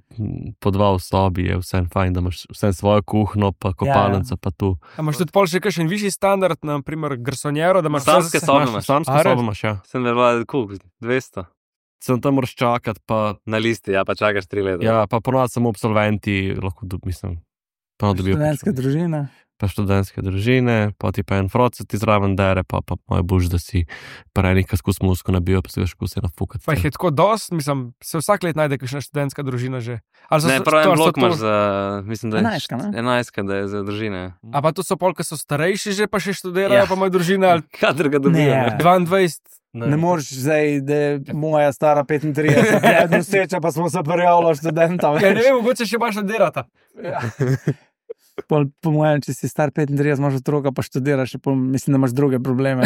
po dva v sobi, je vse fajn, da imaš vse svojo kuhno, pa kopalnico, pa tu. A imaš tudi pol še kakšen višji standard, na primer garsonjero, da imaš Samske vse- sobe imaš- imaš. Samsko A, res? sobo imaš, ja. Sem veljal, koliko, dvesto? Sem tam moraš čakati, pa, Na listi, ja, pa čakaš tri leta. ja, pa ponovadi samo absolventi, lahko dob, mislim, ponovadi dobijo. Študentske družine. Pa študentske družine, pa ti pa en frocet ti zraven dere, pa, pa moj bož, da si parenik, ki skus musko nabijo, pa se veš, kako se nafukati. Pa jih je tako dost, mislim, se vsak let najde kakšna študentska družina že. Ali so- Ne, so- prav to- en so blok to- imaš za, mislim, da je Enajstka, ne? enajstka, da je za družine. A pa to so pol, ki so starejši že, pa še študirajo, Ja. pa imajo družine, ali Kadar ga dobijo. Ne. ne. dvaindvajset. Ne moreš zdaj, da je moja stara petintrideset, eno sreča, pa smo se prijavili študenta. Ja, ne vem, mogoče še baš študirata. Pol, po mojem, če si star petintrideset, imaš otroka, pa študiraš, pol, mislim, da imaš druge probleme.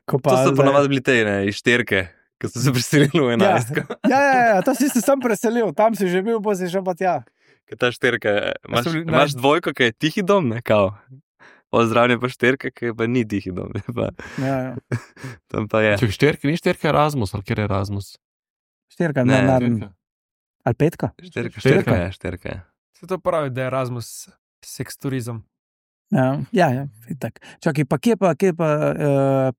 Ko To pa so zdaj- ponovadi bili te, ne, iz šterke, ki so se preselili v enajstko. Ja, ja, ja, to si se sam preselil, tam si že bil, pa si šel pa tja. Ker ta šterka, imaš, so bili imaš naj- dvojko, ki je tihi dom, ne, kao. Pozdravljen pa šterka, ki pa ni tihi dom, ne, pa, Ja, ja. tam pa je. Če šterke, ni šterke Erasmus, ali kjer je Erasmus? Štirka, Ne, ne, naravno. Ali petka? Šterka, Šterka. šterka je, šterka je. Se to pravi, da je Erasmus seksturizem. Ja, ja, ja itak. Čakaj, pa kje pa, kje pa uh,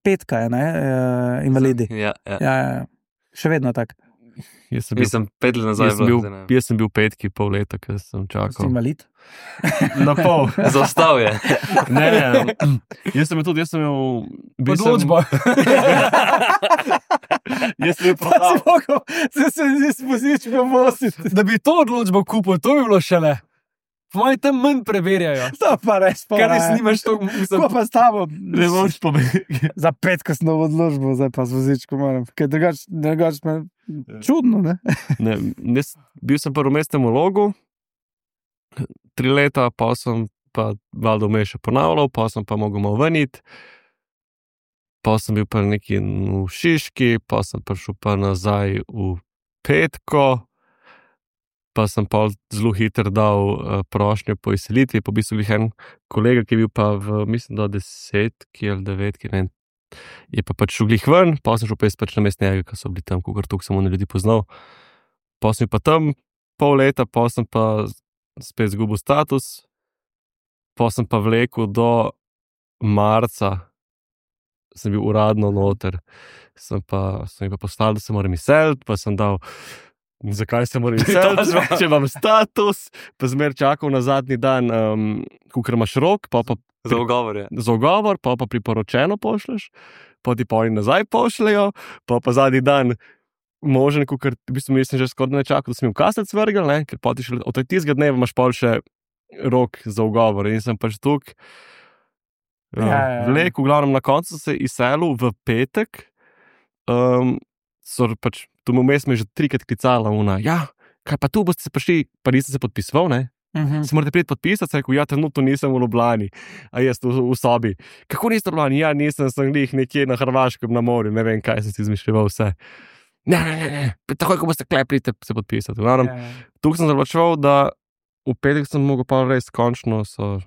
petka je, ne, uh, invalidi. Ja, ja. Ja, ja, ja. Še vedno tako. Jaz sem bil, Mislim, pet let nazaj jaz sem bil, zdaj ne. jaz sem bil petki, pol leta, ker sem Si čakal. invalid? Na pol. Zaostal je. Ne, ne, jaz sem bil tudi, jaz sem imel... bil sem- Odločba. Jaz sem bil Pa si prav. mogel, se se zdi spozičko voziti. Da bi to odločbo kupil, to bi bilo šele. Po mojem tam manj preverjajo. To pa res pa. Ker res nimaš to, Ko mislim, pa s tabo? Ne moreš povedati. Za petko sem novo odložbo, zdaj pa z vozičko moram. Ker drugač, drugač me čudno, ne? Ne, jaz, bil sem prvo mestnem vlogu, tri leta, pa sem pa valjda vmes še ponavljal, pa sem pa mogel malo veniti. Pa sem bil pa neki v Šiški, pa sem prišel pa nazaj v Petko, pa sem pa zelo hitro dal uh, prošnjo po izselitvi, pa v bistvu glih en kolega, ki je bil pa v, mislim, da desetki ali devetki, ne, je pa pač šel glih ven, pa sem šel pa jaz pač na mest njega, ki so bili tam, kakor tukaj sem oni ljudi poznal. Pa sem bil pa tam pol leta, pa sem pa spet zgubil status, pa sem pa vlekel do marca, sem bil uradno noter, sem pa, sem jim pa poslal, da se moram izseliti, pa sem dal, zakaj se moram izseliti, če imam status, pa zmer čakal na zadnji dan, um, kukor imaš rok, pa pa Za ugovor je. za ugovor, pa pa priporočeno pošleš, pa ti pa oni nazaj pošljajo, pa pa zadnji dan možen, kukor, v bistvu mislim, že skoraj ne čakal, da sem jim kasec vrgel, ne, ker pa ti šele od tistega dneva imaš pol še rok za ugovor in sem pač tukaj Ja, ja, ja. vlek, v glavnem na koncu se izselil v petek, um, so pač, tu mu vmes me je že trikrat klicala una, ja, kaj pa tu boste se prišli, pa nisem se podpisoval, ne? Mhm. Se morate priti podpisati, sem rekel, ja, trenutno nisem v Ljubljani, a jaz v, v sobi. Kako niste v Ljubljani? Ja, nisem, sem glih nekje na Hrvaškem na morju, ne vem, kaj sem si izmišljal vse. Ne, ne, ne, ne, takoj, ko boste klep, pridite se podpisati. Ja, Glavnem, ja. tukaj sem zaplačeval, da v petek sem mogel pa res končno so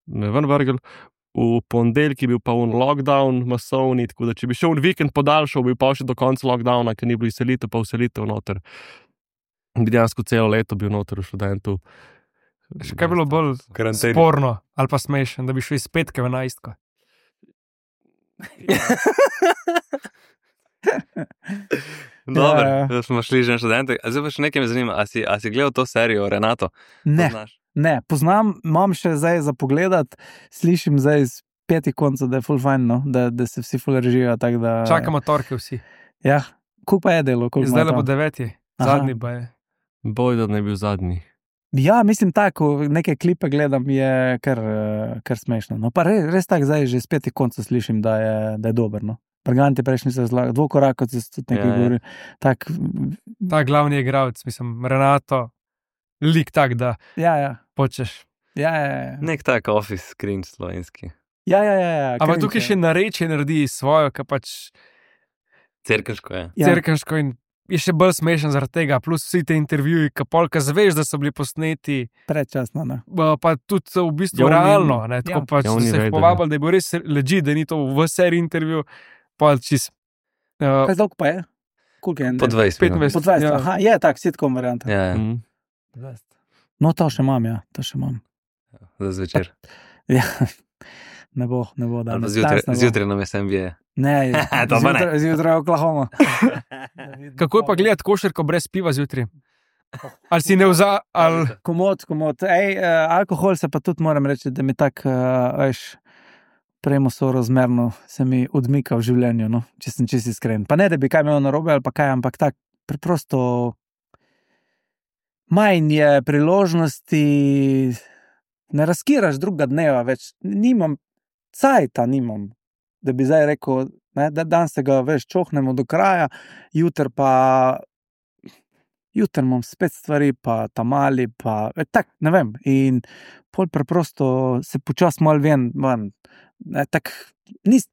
me ven vrgel, v ponedeljek je bil pa un lockdown masovni, tako da če bi šel v vikend podaljšal, bi pa še do konca lockdowna, ker ni bilo izselitev, pa vselitev noter. Bi dejansko celo leto bil noter v študentu. Še kaj je bilo bolj Karanteni. sporno ali pa smešen, da bi šli iz petke v enajstko. Dobro, Ja, ja. da smo šli že na študente. A zdaj pa še nekaj me zanima, a si, a si gledal to serijo Renato? Ne, Poznaš? ne, poznam, imam še zdaj za pogledat, slišim zdaj iz petih koncev, da je full fajn, no? da, da se vsi full režijo. Tak, da... Čakamo torke vsi. Ja, kup pa je delo. koliko Zdaj ima le bo to? deveti, Aha. zadnji pa je. Boj, da ne bi bil zadnji. Ja, mislim tako, neke klipe gledam, je kar, eh, kar smešno. No, pa res, res tako zdaj že iz petih koncev slišim, da je, da je dober. No. Preganti prejšnji se zlaga, dvokorak, kot se tudi nekaj Ja, ja. govori. Tak, Ta glavni igralec, mislim, Renato, lik tak, da ja, ja. počeš. Ja, ja, ja. Nek tak office cringe slovenski. Ja, ja, ja, ja. Ampak cringe, tukaj ja. še narečje naredi svojo, ki pač Cerkeško je. Ja. cerkeško in je še bolj smešen zaradi tega, plus vsi te intervjuji, ki polka zveš, da so bili posneti, Predčasno. Ne. pa pa tudi v bistvu Ja, oni- realno, ne, tako ja. pač Ja, so oni se jih vedo, povabili, da je bil res leži, da ni to v seriji intervju, pa čist. Uh, Kaj dolgo pa je? Koliko je? Po dvajset minut. petindvajset. Po dvajset, Ja. aha, je tak, sitcom varianta. Ja, ja, Mm. No, to še imam, ja, to še imam. za zvečer. Ja, ne bo, ne bo Ali pa danes. zjutraj, danes ne bo. zjutraj nam je sem bije. Ne, To pa ne. zjutraj, zjutraj Oklahoma. Kako je pa gledati košarko brez piva zjutraj? Ali si ne vza, ali Komod, komod. Ej, uh, alkohol se pa tudi moram reči, da mi tako, uh, veš, premo sorazmerno se mi odmika v življenju, no, če sem čisto iskren. Pa ne, da bi kaj imel narobe ali pa kaj, ampak tako preprosto manj je priložnosti, ne razkiraš drugega dneva več, nimam, cajta nimam, da bi zdaj rekel, ne, da danes se ga, veš, čohnemo do kraja, jutr pa jutr imam spet stvari, pa tamali, pa e, tak, ne vem, in pol preprosto se počas malo ven, ven, ne, tak, nis,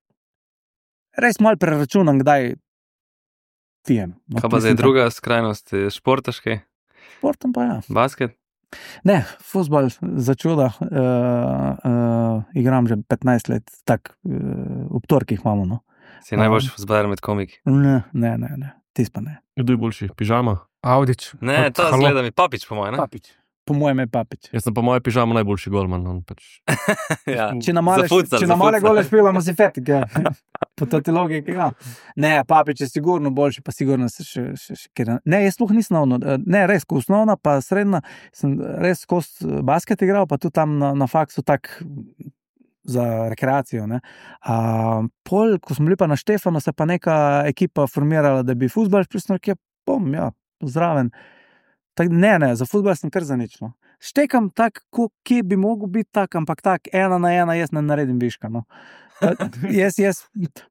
res malo preračunam, kdaj pijem. No, Kaj pa zdaj mislim, druga skrajnost, je športaški, Športom pa ja. basket? Ne, fuzbal za čuda, uh, uh, igram že petnajst let, tak, uh, ob torkih imamo, no. Si najboljši fuzbaler med komiki. Ne, ne, ne, ne, tis pa ne. Kdo je boljši? Pižama? Audič. Ne, to Halo. zgleda mi Papič, po mojem, ne? Papič. Po mojem je Papič. Jaz sem pa moja pižama najboljši golman. On pač. Ja. Če na male, Za futsal, če za na male futsal. gole špilamo, si fetik, ja. Po toti logiki, ja. Ne, Papič je sigurno boljši, pa sigurno se še, še, še kjer... Ne, jaz sploh nisem osnovno, ne, res, ko osnovna, pa srednja, sem res kos basket igral, pa tudi tam na, na faksu tak za rekreacijo, ne. A, pol, ko smo bili pa na Štefano, se pa neka ekipa formirala, da bi fuzbal pristal, kje bom, ja, zraven. Tak, ne, ne, za fuzbal sem kar zanično. Štekam tak, ko, kje bi mogel biti tak, ampak tak, ena na ena, jaz ne naredim viška, no. jaz, jaz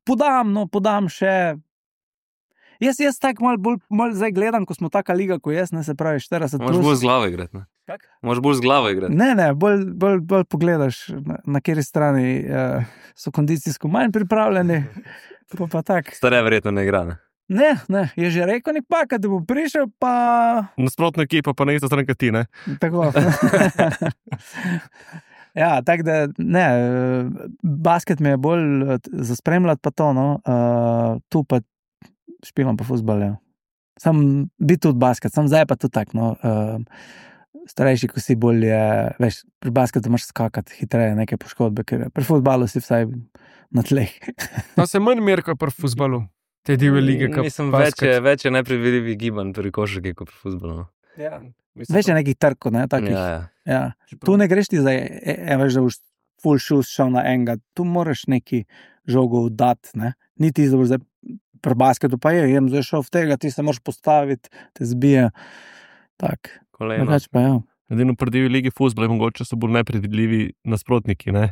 podam, no, podam še. Jaz, jaz tak mal bolj, mal zdaj gledam, ko smo taka liga, ko jaz, ne, se pravi štirideset Moraš bolj plus. z glavo igrati, ne? Kak? Moraš bolj z glavo igrati. Ne, ne, bolj, bolj, bolj pogledaš, na, na kateri strani uh, so kondicijsko manj pripravljeni, pa pa tak. Stare verjetno ne igra, ne? Ne, ne, je že rekel nek paka, da bo prišel, pa Nasprotna ekipa pa na isto stran kot ti, ne? tako. Ja, tako da, ne, basket mi je bolj za spremljati pa to, no, uh, tu pa špilam pa fuzbal, ja. Sam bi tudi basket, sam zdaj pa tudi tak, no, uh, starejši, ko si bolj je, veš, pri basketu moraš skakati hitreje, neke poškodbe, ker pri fuzbalu si vsaj na tleh. Pa se manj mer kot pri fuzbalu. Te divje lige, kot Mislim, več je, več je nepredvidljivih gibanj pri košarki kot pri fuzbalu. No. Ja. Več je nekih trkov, ne, takih. Ja, ja. Ja. Tu ne greš ti zdaj, e, e, veš, da boš full shoes šel na enega, tu moraš neki žogo dati, ne. Ni ti zdaj, pri basketu pa je, jem zdaj šel v tega, ti se moraš postaviti, te zbije. Tak, Koleno. drugače pa ja. Edino pri divji ligi fuzbala mogoče so bolj nepredvidljivi nasprotniki, ne?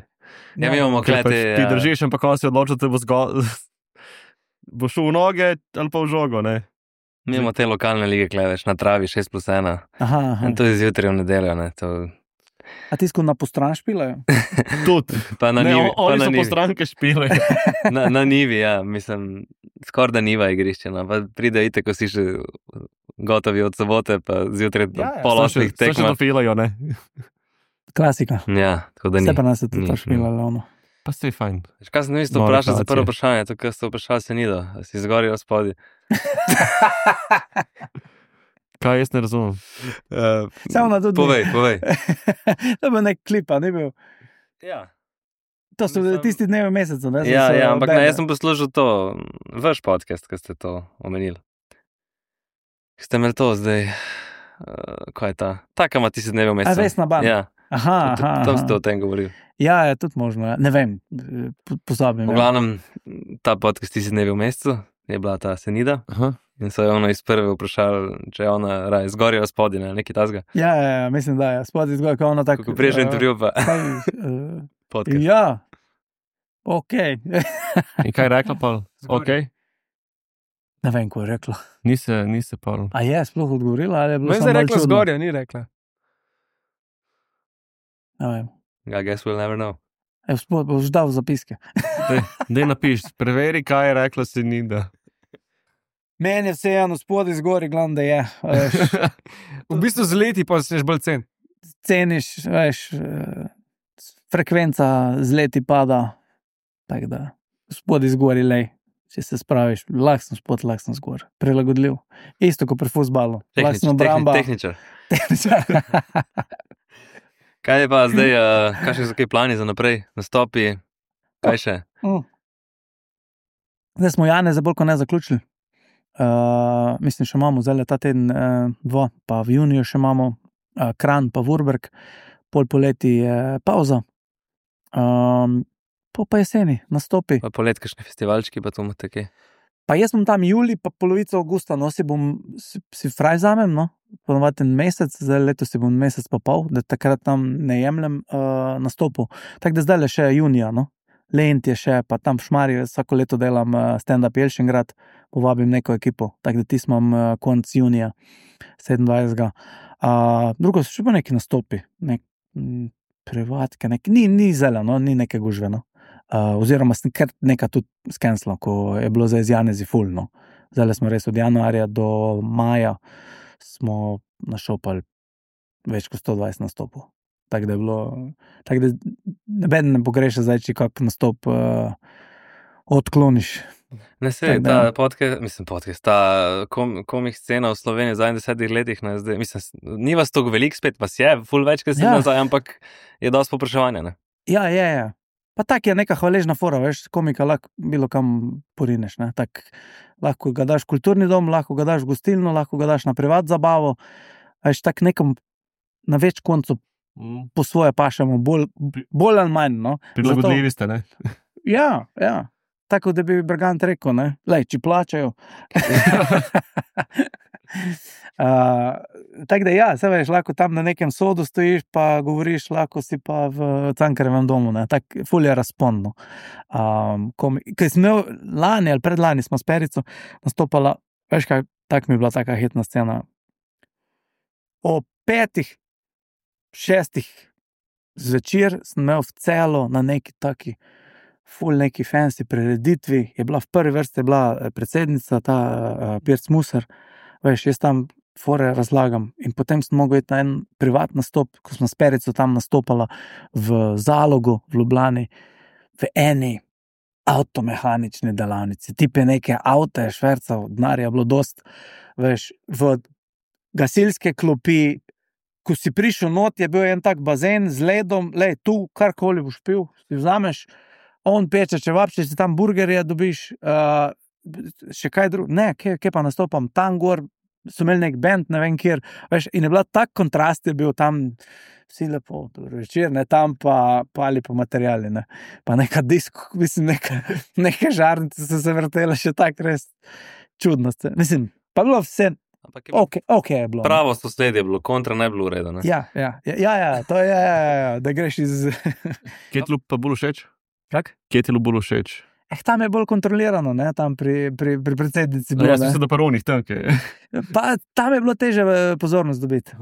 Ja, mi imamo Ker pač kleti. ti držiš, ampak on se odloča, da bo zgolj... bo šel v noge ali pa v žogo, ne? Mi imamo te lokalne lige, kleveš na travi šest plus ena. Aha, aha. In to je zjutraj v nedeljo, ne. To... A ti sko na postran špilajo? Tudi. Pa na Ne, nivi. on- Pa oni na so po nivi. stranke špile. Na, na nivi, ja, mislim, skoraj da niva igrišče, no. Pa pride ite, ko si še gotovi od sobote, pa zjutraj Ja, ja. pol So še, osmih so še tekma. dofilajo, ne? Klasika. Ja, tako da ni. Vse pa nas je tudi Ni, to špilalo, ono. Pa ste fajn. Veš, kaj sem isto Nove vprašal za prvo relacije. vprašanje, to, kar ste vprašali se nido, a si zgori ali spodi. Kaj jaz ne razumem? Uh, Samo na tudi. povej, povej. To je bil nek klip, a ni bil. Ja, To so Mislim- tisti dnevi v mesecu, ne? ja, So- ja ampak bende. ne, jaz sem poslušal to, vaš podcast, ki ste to omenili. Ste imeli to zdaj, uh, kaj je ta? Taka ima tisti dnevi v A mesecu. Vesna Ban? Ja, Aha, to- aha, tam aha. ste o tem govorili. Ja, je tudi možno, ja. Ne vem, po- pozabim. V Ja. glavnem, ta podcast tisti dnevi v mesecu je bila ta Senida Aha. in so jo ono iz prve vprašali, če je ona raje zgori ali spodi, ne, nekaj tasga. Ja, ja, ja, mislim, da je. Spodaj zgoraj, ko ona tako. Kako prejšnji eh, intervju pa kaj, eh, podcast. Ja, ok. In kaj je rekla pa? Ok? Ne vem, ko je rekla. Ni se, ni se pa. A je sploh odgovorila ali je bilo Me je samo zdaj malo rekla čudno? zgorja, ni rekla. Ne vem. I guess we'll never know. Evo, sploh boš dal zapiske. Dej napiš, preveri, kaj je rekla Senida. Meni je vseeno, spodaj zgoraj, glavno, da je. Veš, V bistvu z leti pa se bolj cen. ceniš, veš, eh, frekvenca z leti pada, tako da spodaj zgoraj, lej. če se spraviš, lahko sem spod, lahko sem zgor, prilagodljiv. Isto kot pri fuzbalu. Lahko sem obramba. Tehničar. Tehničar. Kaj je pa zdaj, uh, kakšni so kaj plani za naprej, nastopi, kaj še? Mm. Zdaj smo Jane za bolj kot ne zaključili. Uh, mislim, še imamo zdaj ta teden uh, dva, pa v juniju še imamo uh, Kranj, pa Vurberg, pol poleti je pauza, um, pol pa jeseni, nastopi. Pa polet, kakšni festivalčki, pa to imate kaj? Pa jaz bom tam juli, pa polovico avgusta, no, si bom, si, si fraj zamem, no, ponovati en mesec, zdaj letos si bom mesec pa pol, da takrat tam ne jemljem uh, nastopu. Tako da zdaj le še junija, no. Lent je še, pa tam v Šmarju vsako leto delam uh, stand-up Jelšingrad, povabim neko ekipo, tako da ti smo uh, konc junija, sedemindvajsetega. Uh, drugo so še pa neki nastopi, nek, m, privatke, nek, ni, ni zeleno, ni neke gužve, no. Uh, oziroma sem kar nekaj tudi skenslo, ko je bilo zdaj z Janezi ful, no. Zdaj smo res od januarja do maja smo našopali več kot sto dvajset nastopov. Tako da je bilo, tako da nobeden ne pogreša zdaj, če kak nastop uh, odkloniš. Ne se, ta podcast, mislim podcast, ta kom, komik scena v Sloveniji v zadnjih desetih letih, ne, zdaj, mislim, ni vas toliko veliko spet, vas je, ful več, ker se ja. nazaj, ampak je dosti popraševanja, ne? Ja, je, je. Pa tak je neka hvaležna fora, veš, komika lahko bilo kam porineš, ne, tak lahko ga daš v kulturni dom, lahko ga daš v gostilno, lahko ga daš na privat zabavo, veš, tak nekam na več koncu po svoje pašemo, bolj, bolj ali manj, no. Prilagodljivi ste, ne? Ja, ja. Tako, da bi Bergant rekel, ne, lej, či plačajo. uh, tako da ja, se veš, lahko tam na nekem sodu stojiš, pa govoriš, lahko si pa v Cankarjevem domu, ne, tak ful je razpondno. Um, Kaj smo imel lani ali predlani smo s Perico nastopala, veš kaj, tak mi je bila taka hitna scena. O petih, šestih zvečer sem imel v Celo na neki taki ful neki fancy prireditvi, je bila v prvi vrsti je bila predsednica, ta uh, Pirc Musar, veš, jaz tam fore razlagam in potem sem mogel iti na en privat nastop, ko smo s Perico tam nastopala v Zalogu, v Ljubljani, v eni avtomehanični delavnici, tipe neke avte, šverca, denarja je bilo dost, veš, v gasilske klopi, ko si prišel not, je bil en tak bazen z ledom, lej, tu karkoli boš pil, si vzameš, on peče čevapče, si tam burgerje dobiš, uh, še kaj drugo, ne, kje, kje pa nastopam, tam gor, so imeli nek band, ne vem kjer, veš, in je bila tak kontrast, je bil tam, vsi lepo, dobro večer, ne, tam pa pali po materijali, ne, pa neka disko, mislim, neka, neke žarnice so se vrtele, še tak res čudno, mislim, pa bilo vse, je ok, ok je bilo. Pravo sosedje je bilo, kontra ne bilo ureda, ne? Ja, ja, ja, ja, to je, ja, ja, da greš iz... Kje ti pa bolj všeč? Kak? Kje ti bolj všeč? Eh, tam je bolj kontrolirano, ne, tam pri, pri, pri predsednici bilo, no, jaz mislim, da paronih tam, kaj je. Pa tam je bilo teže pozornost dobiti.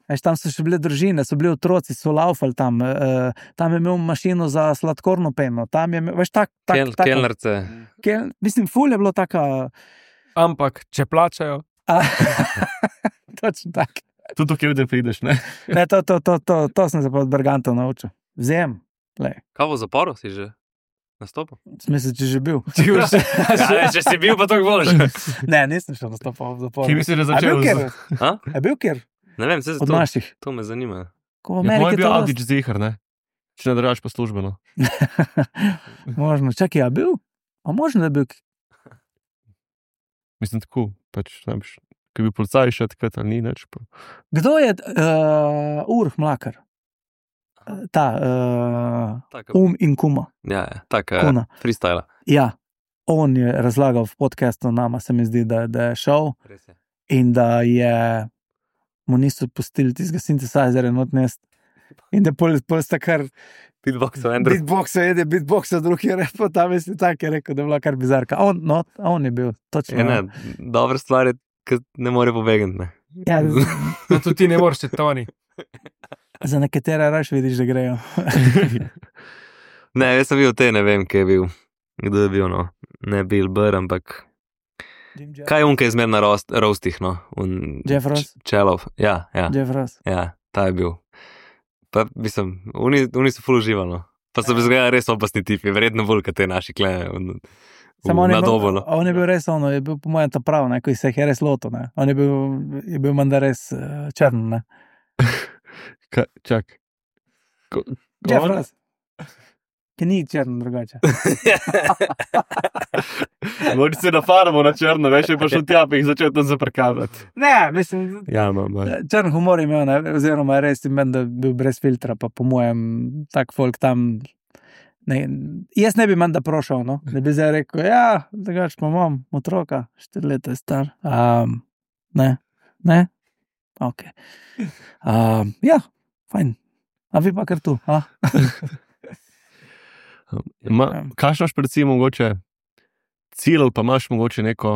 Veš, tam so še bile družine, so bili otroci, so laufali tam, uh, tam je imel mašino za sladkorno peno, tam je imel, veš, tak, tak, Kel, taka, kelnerce. Kel, mislim, ful je bilo taka... Ampak, če plačajo... Točno tak. Tudi kje vde prideš, ne? Ne, to, to, to, to, to sem se pa od Bergantov naučil. Vzem, lej. Kaj v zaporu si že nastopil? Smisel, če že bil. ja, ne, če si bil, pa tako boš. Ne, nisem še nastopal v zaporu. Kje misliš, da začel? A bil kjer? A? A bil kjer? Ne vem, se Od to, naših. to me zanima. Ko v Ja, moj je Ameriki bil to Avdić zihar, ne? Če ne držaš pa službeno. Možno, čakaj, a bil? A možno, da je bil... Mislim tako, pač, ne biš, ki bi policaj še takrat, ali ni neč. Pa. Kdo je uh, Urh Mlakar? Ta, uh, Taka, Um in Kuma. ja, ja, taka Kuna. freestyla. Ja, on je razlagal v podcastu nama, se mi zdi, da, da je šel Res je. in da je mu niso pustili tistega synthesizera not nest. In da pol, pol sta kar Beatboxo, Andrew. beatboxa jede, beatboxa drug je rekel, tam je si tak je rekel, da je bila kar bizarka. On, no, on je bil, točno. Je, ne, dobra stvar je, ki ne more pobegati, ne. Ja, Da tudi ti ne moreš, če Toni. za nekatere raš vidiš, da grejo. Ne, jaz sem bil te, ne vem, kje je bil. Kdo je bil, no. Ne Bill Burr, ampak kaj je on, ki je zmer na roast, roastih, no. Un, Jeff Ross? Č- Čelov, ja, ja, Jeff Ross. ja, ta je bil. Pa, mislim, oni, oni so ful uživali, no. Pa so bi zgledali res opasni tipi, verjetno bolj, kot te naši klene. Samo on, je bil- Nadobolo. on je bil res ono, je bil po mojem ta prav, ne, ko se jih je res lotil, ne. On je bil, je bil menda res uh, črn, ne. Ka, čak. Ko, Jeff on- Ross. Ki ni črn drugače. Mogoče se nafaramo na črno, veš, je pa šel tja, pa jih začel tam zaprkavati. Ne, mislim, Ja, mam, črn humor je imel, ne, oziroma res je meni, da je bil brez filtra, pa po mojem tak folk tam, ne, jaz ne bi menda prošel, no, da bi zdaj rekel, ja, drugače pa imam otroka, štiri leta je star. Um, ne, ne, ok. Um, ja, fajn. A vi pa kar tu, a? Ma, kaj imaš recimo mogoče cilj, ali pa imaš mogoče neko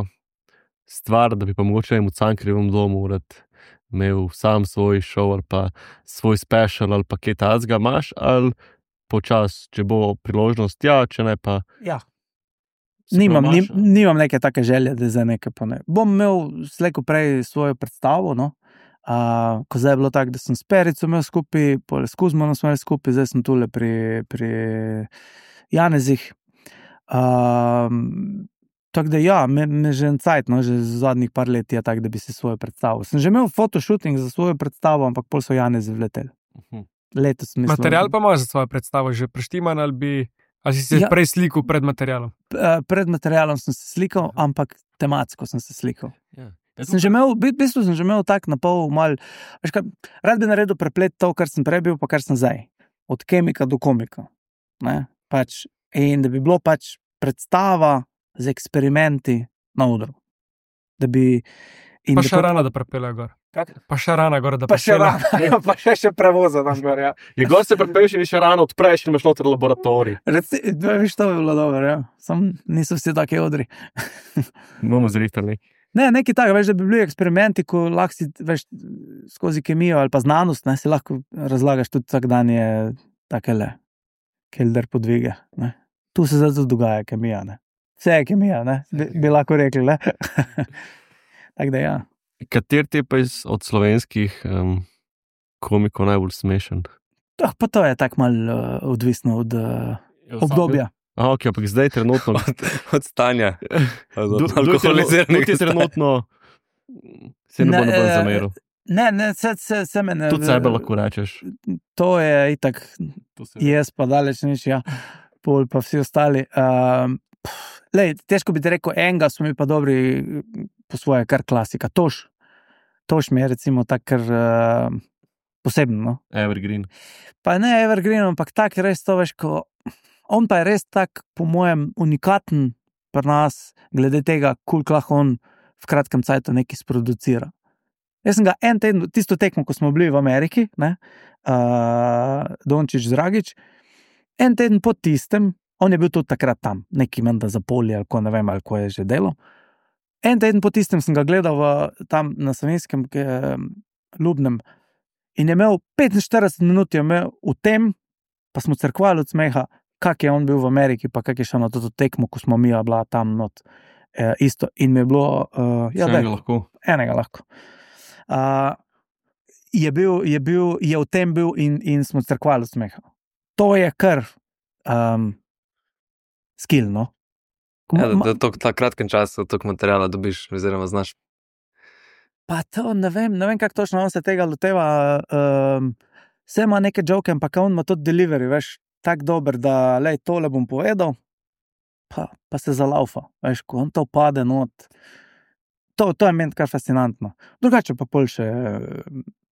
stvar, da bi pa mogoče v Cankarjevem domu rad imel sam svoj šov ali pa svoj special ali pa kaj tazga imaš, ali počas, če bo priložnost, ja, če ne pa... Ja. se Nimam, pa nim, imaš, nimam neke take želje, da za nekaj pone. Bom imel slejko prej svojo predstavo, no. Uh, ko zdaj je bilo tako, da sem s Perico imel skupaj, pole s Kuzmanom smo imeli skupaj, zdaj sem tule pri, pri Janezih. Um, tako da ja, me, me že en cajt, no, že zadnjih par let je tako, da bi si svojo predstavo. Sem že imel fotoshooting za svojo predstavo, ampak pol so Janezi vleteli. Mhm. Letos mislim. Material pa imaš za svojo predstavo že preštiman, ali, bi, ali si se Ja. ja. prej slikal pred materialom? Uh, pred materialom sem se slikal, ampak tematsko sem se slikal. Ja. Sem že imel, v bistvu sem že imel tak na pol mal, veš kaj, rad bi naredil preplet to, kar sem prej bil, pa kar sem zdaj. Od kemika do komika. Ne? Pač, in da bi bilo pač predstava z eksperimenti na odru. Da bi... In Pa da še rana, da prepelje gor. Kak? Pa še rana gor, da Pa še prepelje. rana, pa še še prevoza tam gor, ja. Je gor se prepeš in še rano odpreš in imaš noter laboratorij. Reci, veš, to bi bilo dobro, ja. Sam niso vsi taki odri. Bomo zrihtali. Ne, nekaj takega, veš, da bi bili eksperimenti, ko lahko si, veš, skozi kemijo ali pa znanost, ne, si lahko razlagaš tudi vsak dan je takele kelder podvige, ne. Tu se zdaj dogaja kemija, ne. Vse je kemija, ne, bi, bi lahko rekli, ne. Tako da ja. Kater ti je pa iz, od slovenskih um, komikov najbolj smešen? Ah, pa to je tako malo uh, odvisno od uh, obdobja. A, ok, ampak zdaj trenutno... Od, od stanja. Od Du- du- trenutno- alkoholiziranih du- ti trenutno se ne bo Ne, noben eh, zameril. Ne, ne, se, se, se me ne... Tudi sebe lahko rečeš. To je itak, jaz pa daleč nič, ja, pol pa vsi ostali. Um, lej, težko bi ti rekel, enega so mi pa dobri po svoje, kar klasika. Toš, toš mi je recimo tak, kar uh, posebno, no. Evergreen. Pa ne Evergreen, ampak tak res to veš, ko on pa je res tak, po mojem, unikaten pri nas, glede tega, koliko lahko on v kratkem cajtu nekaj sproducira. Jaz sem ga en teden, tisto tekmo, ko smo bili v Ameriki, ne, uh, Dončić Dragić, en teden po tistem, on je bil tudi takrat tam, neki menda za polje, ali ko ne vem, ali ko je že delo. En teden po tistem sem ga gledal v, tam na Savinjskem eh, Ljubnem in je imel petinštirideset minut je imel v tem, pa smo crkvali od smeha, kak je on bil v Ameriki, pa kak je šel na to tekmo, ko smo mi bila tam not, eh, isto. In mi je bilo, uh, ja, daj, lahko. enega lahko. Uh, je, bil, je, bil, je v tem bil in, in smo crkvali od smeha. To je kar um, skill, no. Ko Ja, da, ma- da tok, ta kratkem času toliko materijala dobiš, oziroma znaš. Pa to ne vem, ne vem, kako točno on se tega loteva. Um, vse ima neke joke, ampak on ima tudi delivery, veš, tako dober, da lej, tole bom povedal, pa, pa se zalaufa, veš, ko on to pade not. To, to je meni kar fascinantno. Drugače pa pol še eh,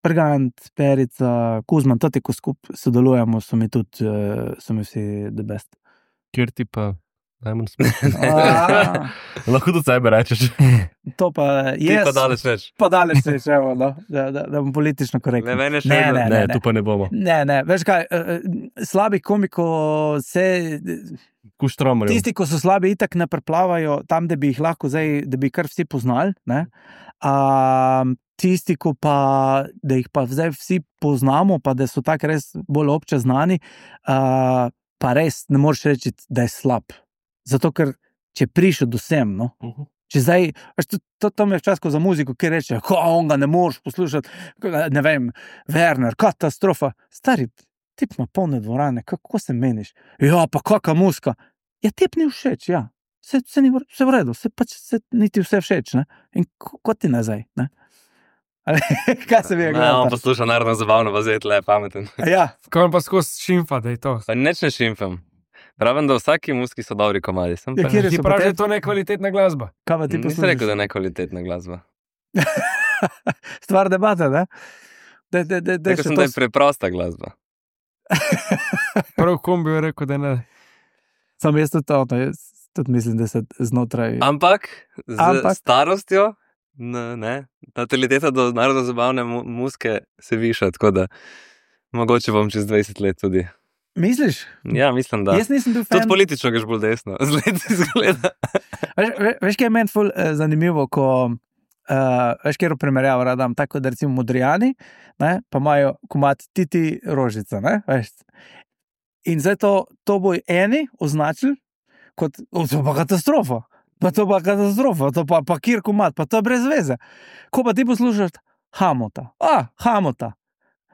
Prgant, Perica, Kuzman, toti, ko skupaj sodelujemo, so mi tudi, eh, so mi vsi the best. Kjer ti pa najmanj smešen? A, Lahko tudi sebe rečeš. to pa Ti je. pa daleč več. Pa daleč se je, no, da, da, da bom politično korekten. Ne, meni je še Ne, vedno- ne, Ne, ne. tu pa ne bomo. Ne, ne, veš kaj, eh, eh, slabih komikov se, Kuštromarjev. tisti, ko so slabi, itak ne preplavajo tam, da bi jih lahko zdaj, da bi kar vsi poznali, ne. A, tisti, ko pa, da jih pa zdaj vsi poznamo, pa da so tako res bolj obče znani, a, pa res ne moreš reči, da je slab. Zato, ker če prišel do sem, no, Mhm. če zdaj, veš, to, to, to mi je včasih za muziko, ki reče, ko on ga ne moreš poslušati, ne vem, Werner, katastrofa. Stari, tip ima polne dvorane, kako se meniš? Ja, pa kakva muska. Ja, tip ni všeč, ja. vse, vse, ni, vse v redu, vse pač se niti vse všeč, ne? In kot ti nazaj, ne? Ali, kaj se vi je Ne, on posluša narodno zabavno, pa zdaj tle, pameten. Ja, Ko on pa skozi šimfa, da je to. Pa nič ne šimfam. Pravim, da v vsaki muski so dobri komadi. Sem Ja, pa kjer ne. je- Ti praviš, da je to nekvalitetna glasba. kaj pa ti Nisem poslušaš? rekel, da je nekvalitetna glasba. Stvar debate, ne? Da, da, da, da, Rekel sem, da je preprosta glasba. Prav kombi je rekel, da ne. Sam jaz tudi to, no, jaz tudi mislim, da se znotraj... Ampak z Ampak- starostjo, ne, ne, nataliteta do narodno zabavne mu muske se viša, tako da mogoče bom čez dvajset let tudi. Misliš? Ja, mislim, da. Jaz nisem bil fan. Tudi politično greš bolj desno, z leti izgleda. Veš, ve- veš, kaj je meni ful eh, zanimivo, ko uh, veš, kjer primerjavo radam, tako da recimo Modrijani, ne, pa imajo komat Titi Rožica, ne, veš. In zdaj to, to bo eni označili kot, o, to pa katastrofa, pa to pa katastrofa, to pa, pa kjer komat, pa to je brez veze. Ko pa ti poslušaš Hamota, a, Hamota,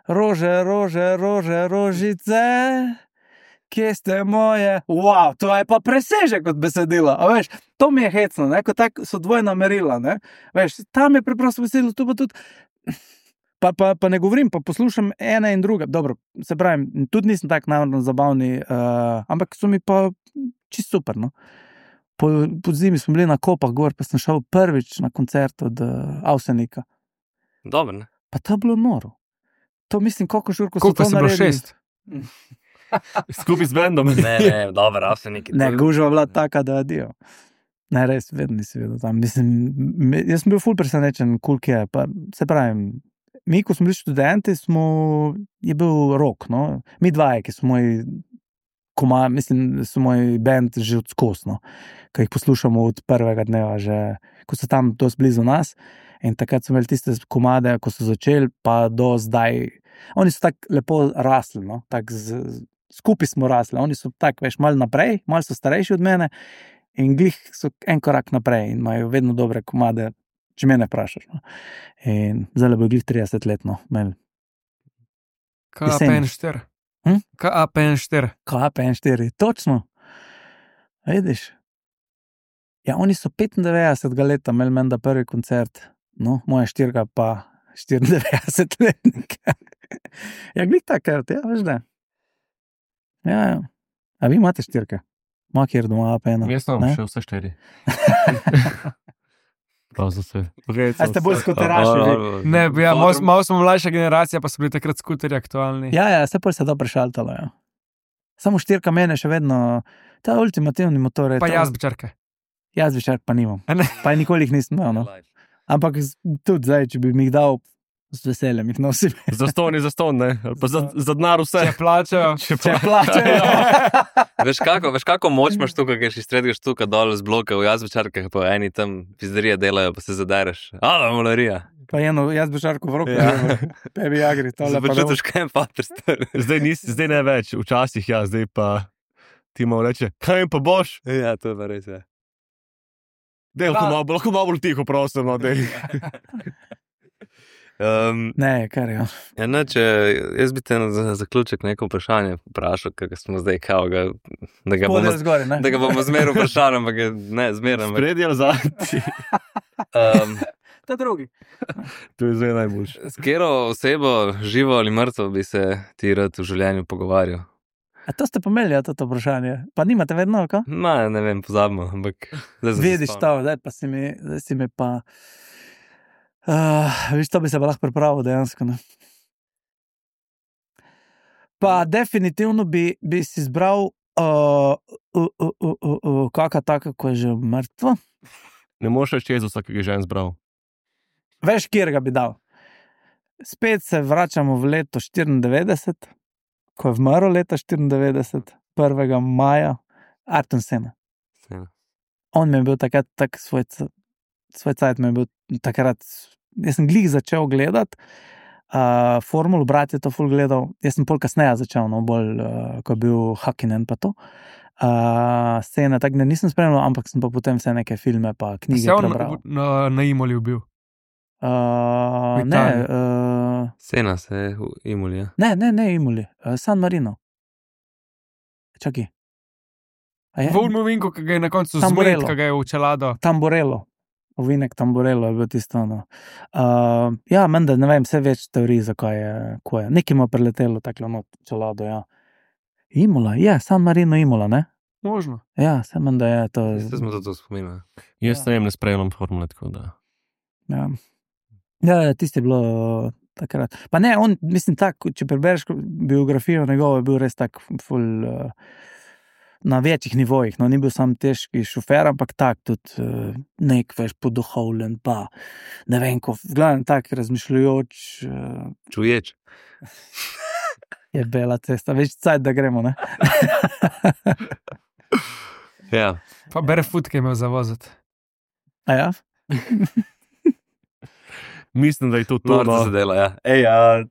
rože, rože, rože, rožice, kje ste moje, wow, to je pa presežek kot besedilo, a veš, to mi je hecno, ne, ko tak so dvojna merila, ne, veš, tam je preprosto besedilo, tu pa tudi, pa, pa, pa ne govorim, pa poslušam ene in druge, dobro, se pravim, tudi nisem tak narodno zabavni, uh, ampak so mi pa čisto super, no. Po, po zimi smo bili na Kopah gor, pa sem šel prvič na koncert od uh, Avsenika, Dobro, ne? pa to je bilo noro. To mislim, koliko žur, ko so Koliko to si bilo naredili. šest? Skupaj z bendom. Ne, ne, dobro, avseniki. Ne, gužva bila taka, da adijo. Ne, res, vedno nisi vedel tam. Mislim, me- jaz sem bil ful presenečen, kul cool je. Pa, se pravim, mi, ko smo bili študenti, smo, je bil rok, no. Mi dvaje, ki so moji koma, mislim, so moj band že odskosno, ki jih poslušamo od prvega dneva, že, ko so tam dosti blizu nas. In takrat so imeli tiste komade, ko so začeli, pa do zdaj. Oni so tako lepo rasli, no? Tak z, z, skupaj smo rasli. Oni so tako, veš, malo naprej, malo so starejši od mene in glih so en korak naprej in imajo vedno dobre komade, če mene vprašaš. No? In zdaj bo glih trideset let, no, imeli. K A P Jeseni. N štiri. Hm? K A P N štiri. K A P N štiri, točno. Vidiš? Ja, oni so petindevetdesetega leta imeli menda prvi koncert, no, moja štirka pa štiriindevetdesetletnik. Ja, glih takrat, ja, veš da. Ja, ja. A vi imate štirke? Ma kjer doma A P N? Jaz sem Ne? še vse štiri. Prav za vse. A ste bolj skuteraši vi? Ne, ja, malo, malo smo mlajša generacija, pa so bili takrat skuterji aktualni. Ja, ja, se pol se to prešaltalo, ja. Samo štirka mene še vedno, ta ultimativni motor je Pa to. jazbečarke. Jaz bi šark pa nimam. A ne? Pa nikoli jih nisem imel, no. Ampak z- tudi zdaj, če bi mi jih dal, z veseljem jih nosim. Zaston je zaston, ne? Ali pa za, za denar vse. Če plačajo. Če Če plačajo. Veš kako, veš kako moč imaš tukaj, ker si stredgaš tukaj dol z bloka v jazbečarkah, pa eni tam pizderije delajo, pa se zadereš. A, malarija. Pa eno, jaz bi šarko v roki, Ja. pebi agri, tole pa Počutiš, kaj je pater star. Zdaj, nis, zdaj ne več, včasih ja, zdaj pa ti malo reče, kaj jim pa boš? Ja, to je pa res, ja. Dej, lahko malo, lahko malo bolj tiho, prosim, no, dej. Um, Ne, kar je. ja, ne, če jaz bi te na za zaključek neko vprašanje vprašal, ker smo zdaj kao, ga, da, ga bomo, Spodaj zgore, ne? da ga bomo zmeraj vprašali, ampak je- ne, zmeraj. ampak, Spredi ali zadnji, Um, Ta drugi. to je zdaj najboljše. s katero osebo, živo ali mrtvo, bi se ti rad v življenju pogovarjal? A to ste pomeli, ja, to vprašanje. Pa nimate vedno, ko? Ma, ne vem, pozabimo, ampak zdaj sem se Vidiš spomnil. to, zdaj pa si mi, zdaj si mi pa... Uh, viš, to bi se pa lahko pripravil dejansko, ne? Pa definitivno bi, bi si izbral uh, uh, uh, uh, uh, uh, kaka taka, ko je že mrtva. Ne moreš reči Jezusa, ki ga je že en zbral. Veš, kjer ga bi dal. Spet se vračamo v leto štiriindevetdeset, ko je vmrl leta štiriindevetdeset, prvega maja, Arton Sena. Sena. On mi je bil takrat tak svoj, c- svoj cajt, mi je bil takrat, jaz sem glih začel gledati, uh, Formulu, brat je to ful gledal, jaz sem pol kasneje začel, no, bolj, uh, ko je bil Hakkinen pa to. Uh, scene, tako da nisem spremljal, ampak sem pa potem vse neke filme pa knjige Se on prebral. na, na Imoli bil. Uh, V ne, Italiji. uh, Sena se je v Imuli, ja. ne, ne, ne, Imoli, uh, San Marino. Čakaj. A je? Volmo vinko, ki ga je na koncu Tamburello. zmed, ki ga je v čelado. Tamburello. Ovinek Tamburello je bil tisto. No. Uh, ja, menda ne vem, vse več teorij, zakaj je, ko je. Nekaj ima preletelo taklo not čelado, ja. Imola, ja, San Marino Imola, ne? Možno. Ja, se menda je to. Ste smo to, to spominjali. Jaz ne vem, ne sprejemam formule, tako da. Ja, ja, ja tisti je bilo uh, takrat. Pa ne, on, mislim, tak, če prebereš biografijo njegovo, je bil res tak ful, uh, na večjih nivojih, no, ni bil sam težki šofer, ampak tak tudi uh, nek veš poduhovljen, pa ne vem, ko, v glavnem tak razmišljajoč, uh, Čuječ. je bela cesta, več cajt, da gremo, ne? Ja. Pa barefoot, ki je imel zavoziti. A ja? Mislim, da je to to. Norca No. se dela, ja. Ej, a,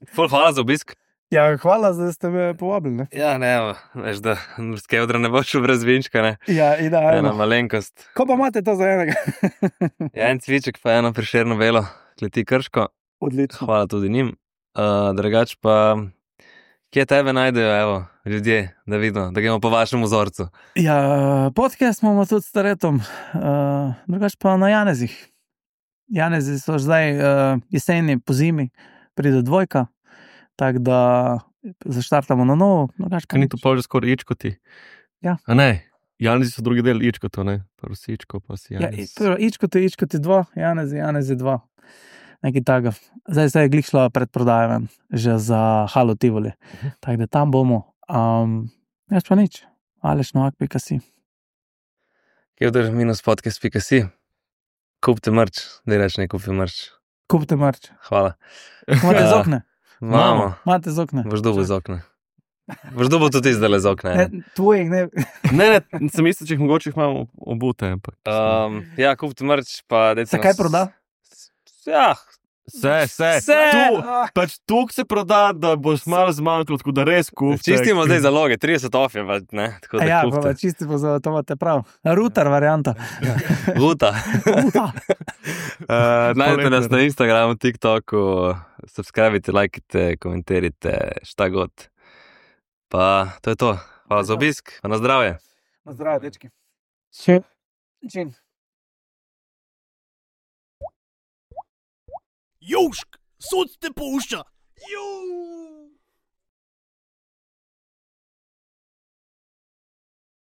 ful hvala za obisk. Ja, hvala, da ste me povabili, ne? Ja, ne, evo, veš, da z Kevdra ne boš šel brez vinčka, ne. Ja, Ena idealno. malenkost. Ko pa imate to za enega? Ja, en cviček pa eno Prešerno velo, kleti Krško. Odlično. Hvala tudi njim. Uh, drugač pa, kje tebe najdejo, evo, ljudje, da vidimo, da gremo po vašem vzorcu. Ja, podcast imamo tudi s Staretom, uh, drugač pa na Janezih. Janezi so zdaj uh, jeseni, po zimi, pride dvojka, tako da zaštartamo na novo. Drugač pa Kaj ni nič. to pa že skoraj ičkoti? Ja. A ne, Janezi so drugi del ičkoto, ne? Prvo si ičko, pa si Ja, Janez. prvo, ičkoti, ičkoti dva, Janezi, Janezi dva. Nekaj takega. Zdaj se je glih šla predprodaja ven, že za Halo Tivoli. Tako da tam bomo. Um, jaz pa nič. Aleš novak pika si. Kevdr minus podcast pika si. Kupite mrč, da reč ne kupi mrč. Kupite marč. Hvala. Imate Ja. z okne? Mamo, Imate z okne? boš dobil z okna. Boš dobil tudi zdaj z okna. Ne, Ne? tvojih ne. Ne, ne, sem mislil, če jih mogoče jih imamo obute, ampak. Um, ja, kupite mrč, pa dajte Se kaj nas- proda? Ja, Vse, vse. Vse! Tu, pač tuk se proda, da boš malo zmanjkalo, tako da res kupite. čistimo zdaj zaloge, trideset off je, pa ne, tako da Ja, pa, kupite. pa čisti bo za to imate prav. Router varianta. Vuta. Router. Uh, najdete nas Poletne. na Instagramu, TikToku, subskrbite, lajkite, komentirajte, šta god. Pa to je to. Hvala za obisk, pa na zdravje. Na zdravje, dečki. Čin. Čin. Južk, sod te pušča. Južk.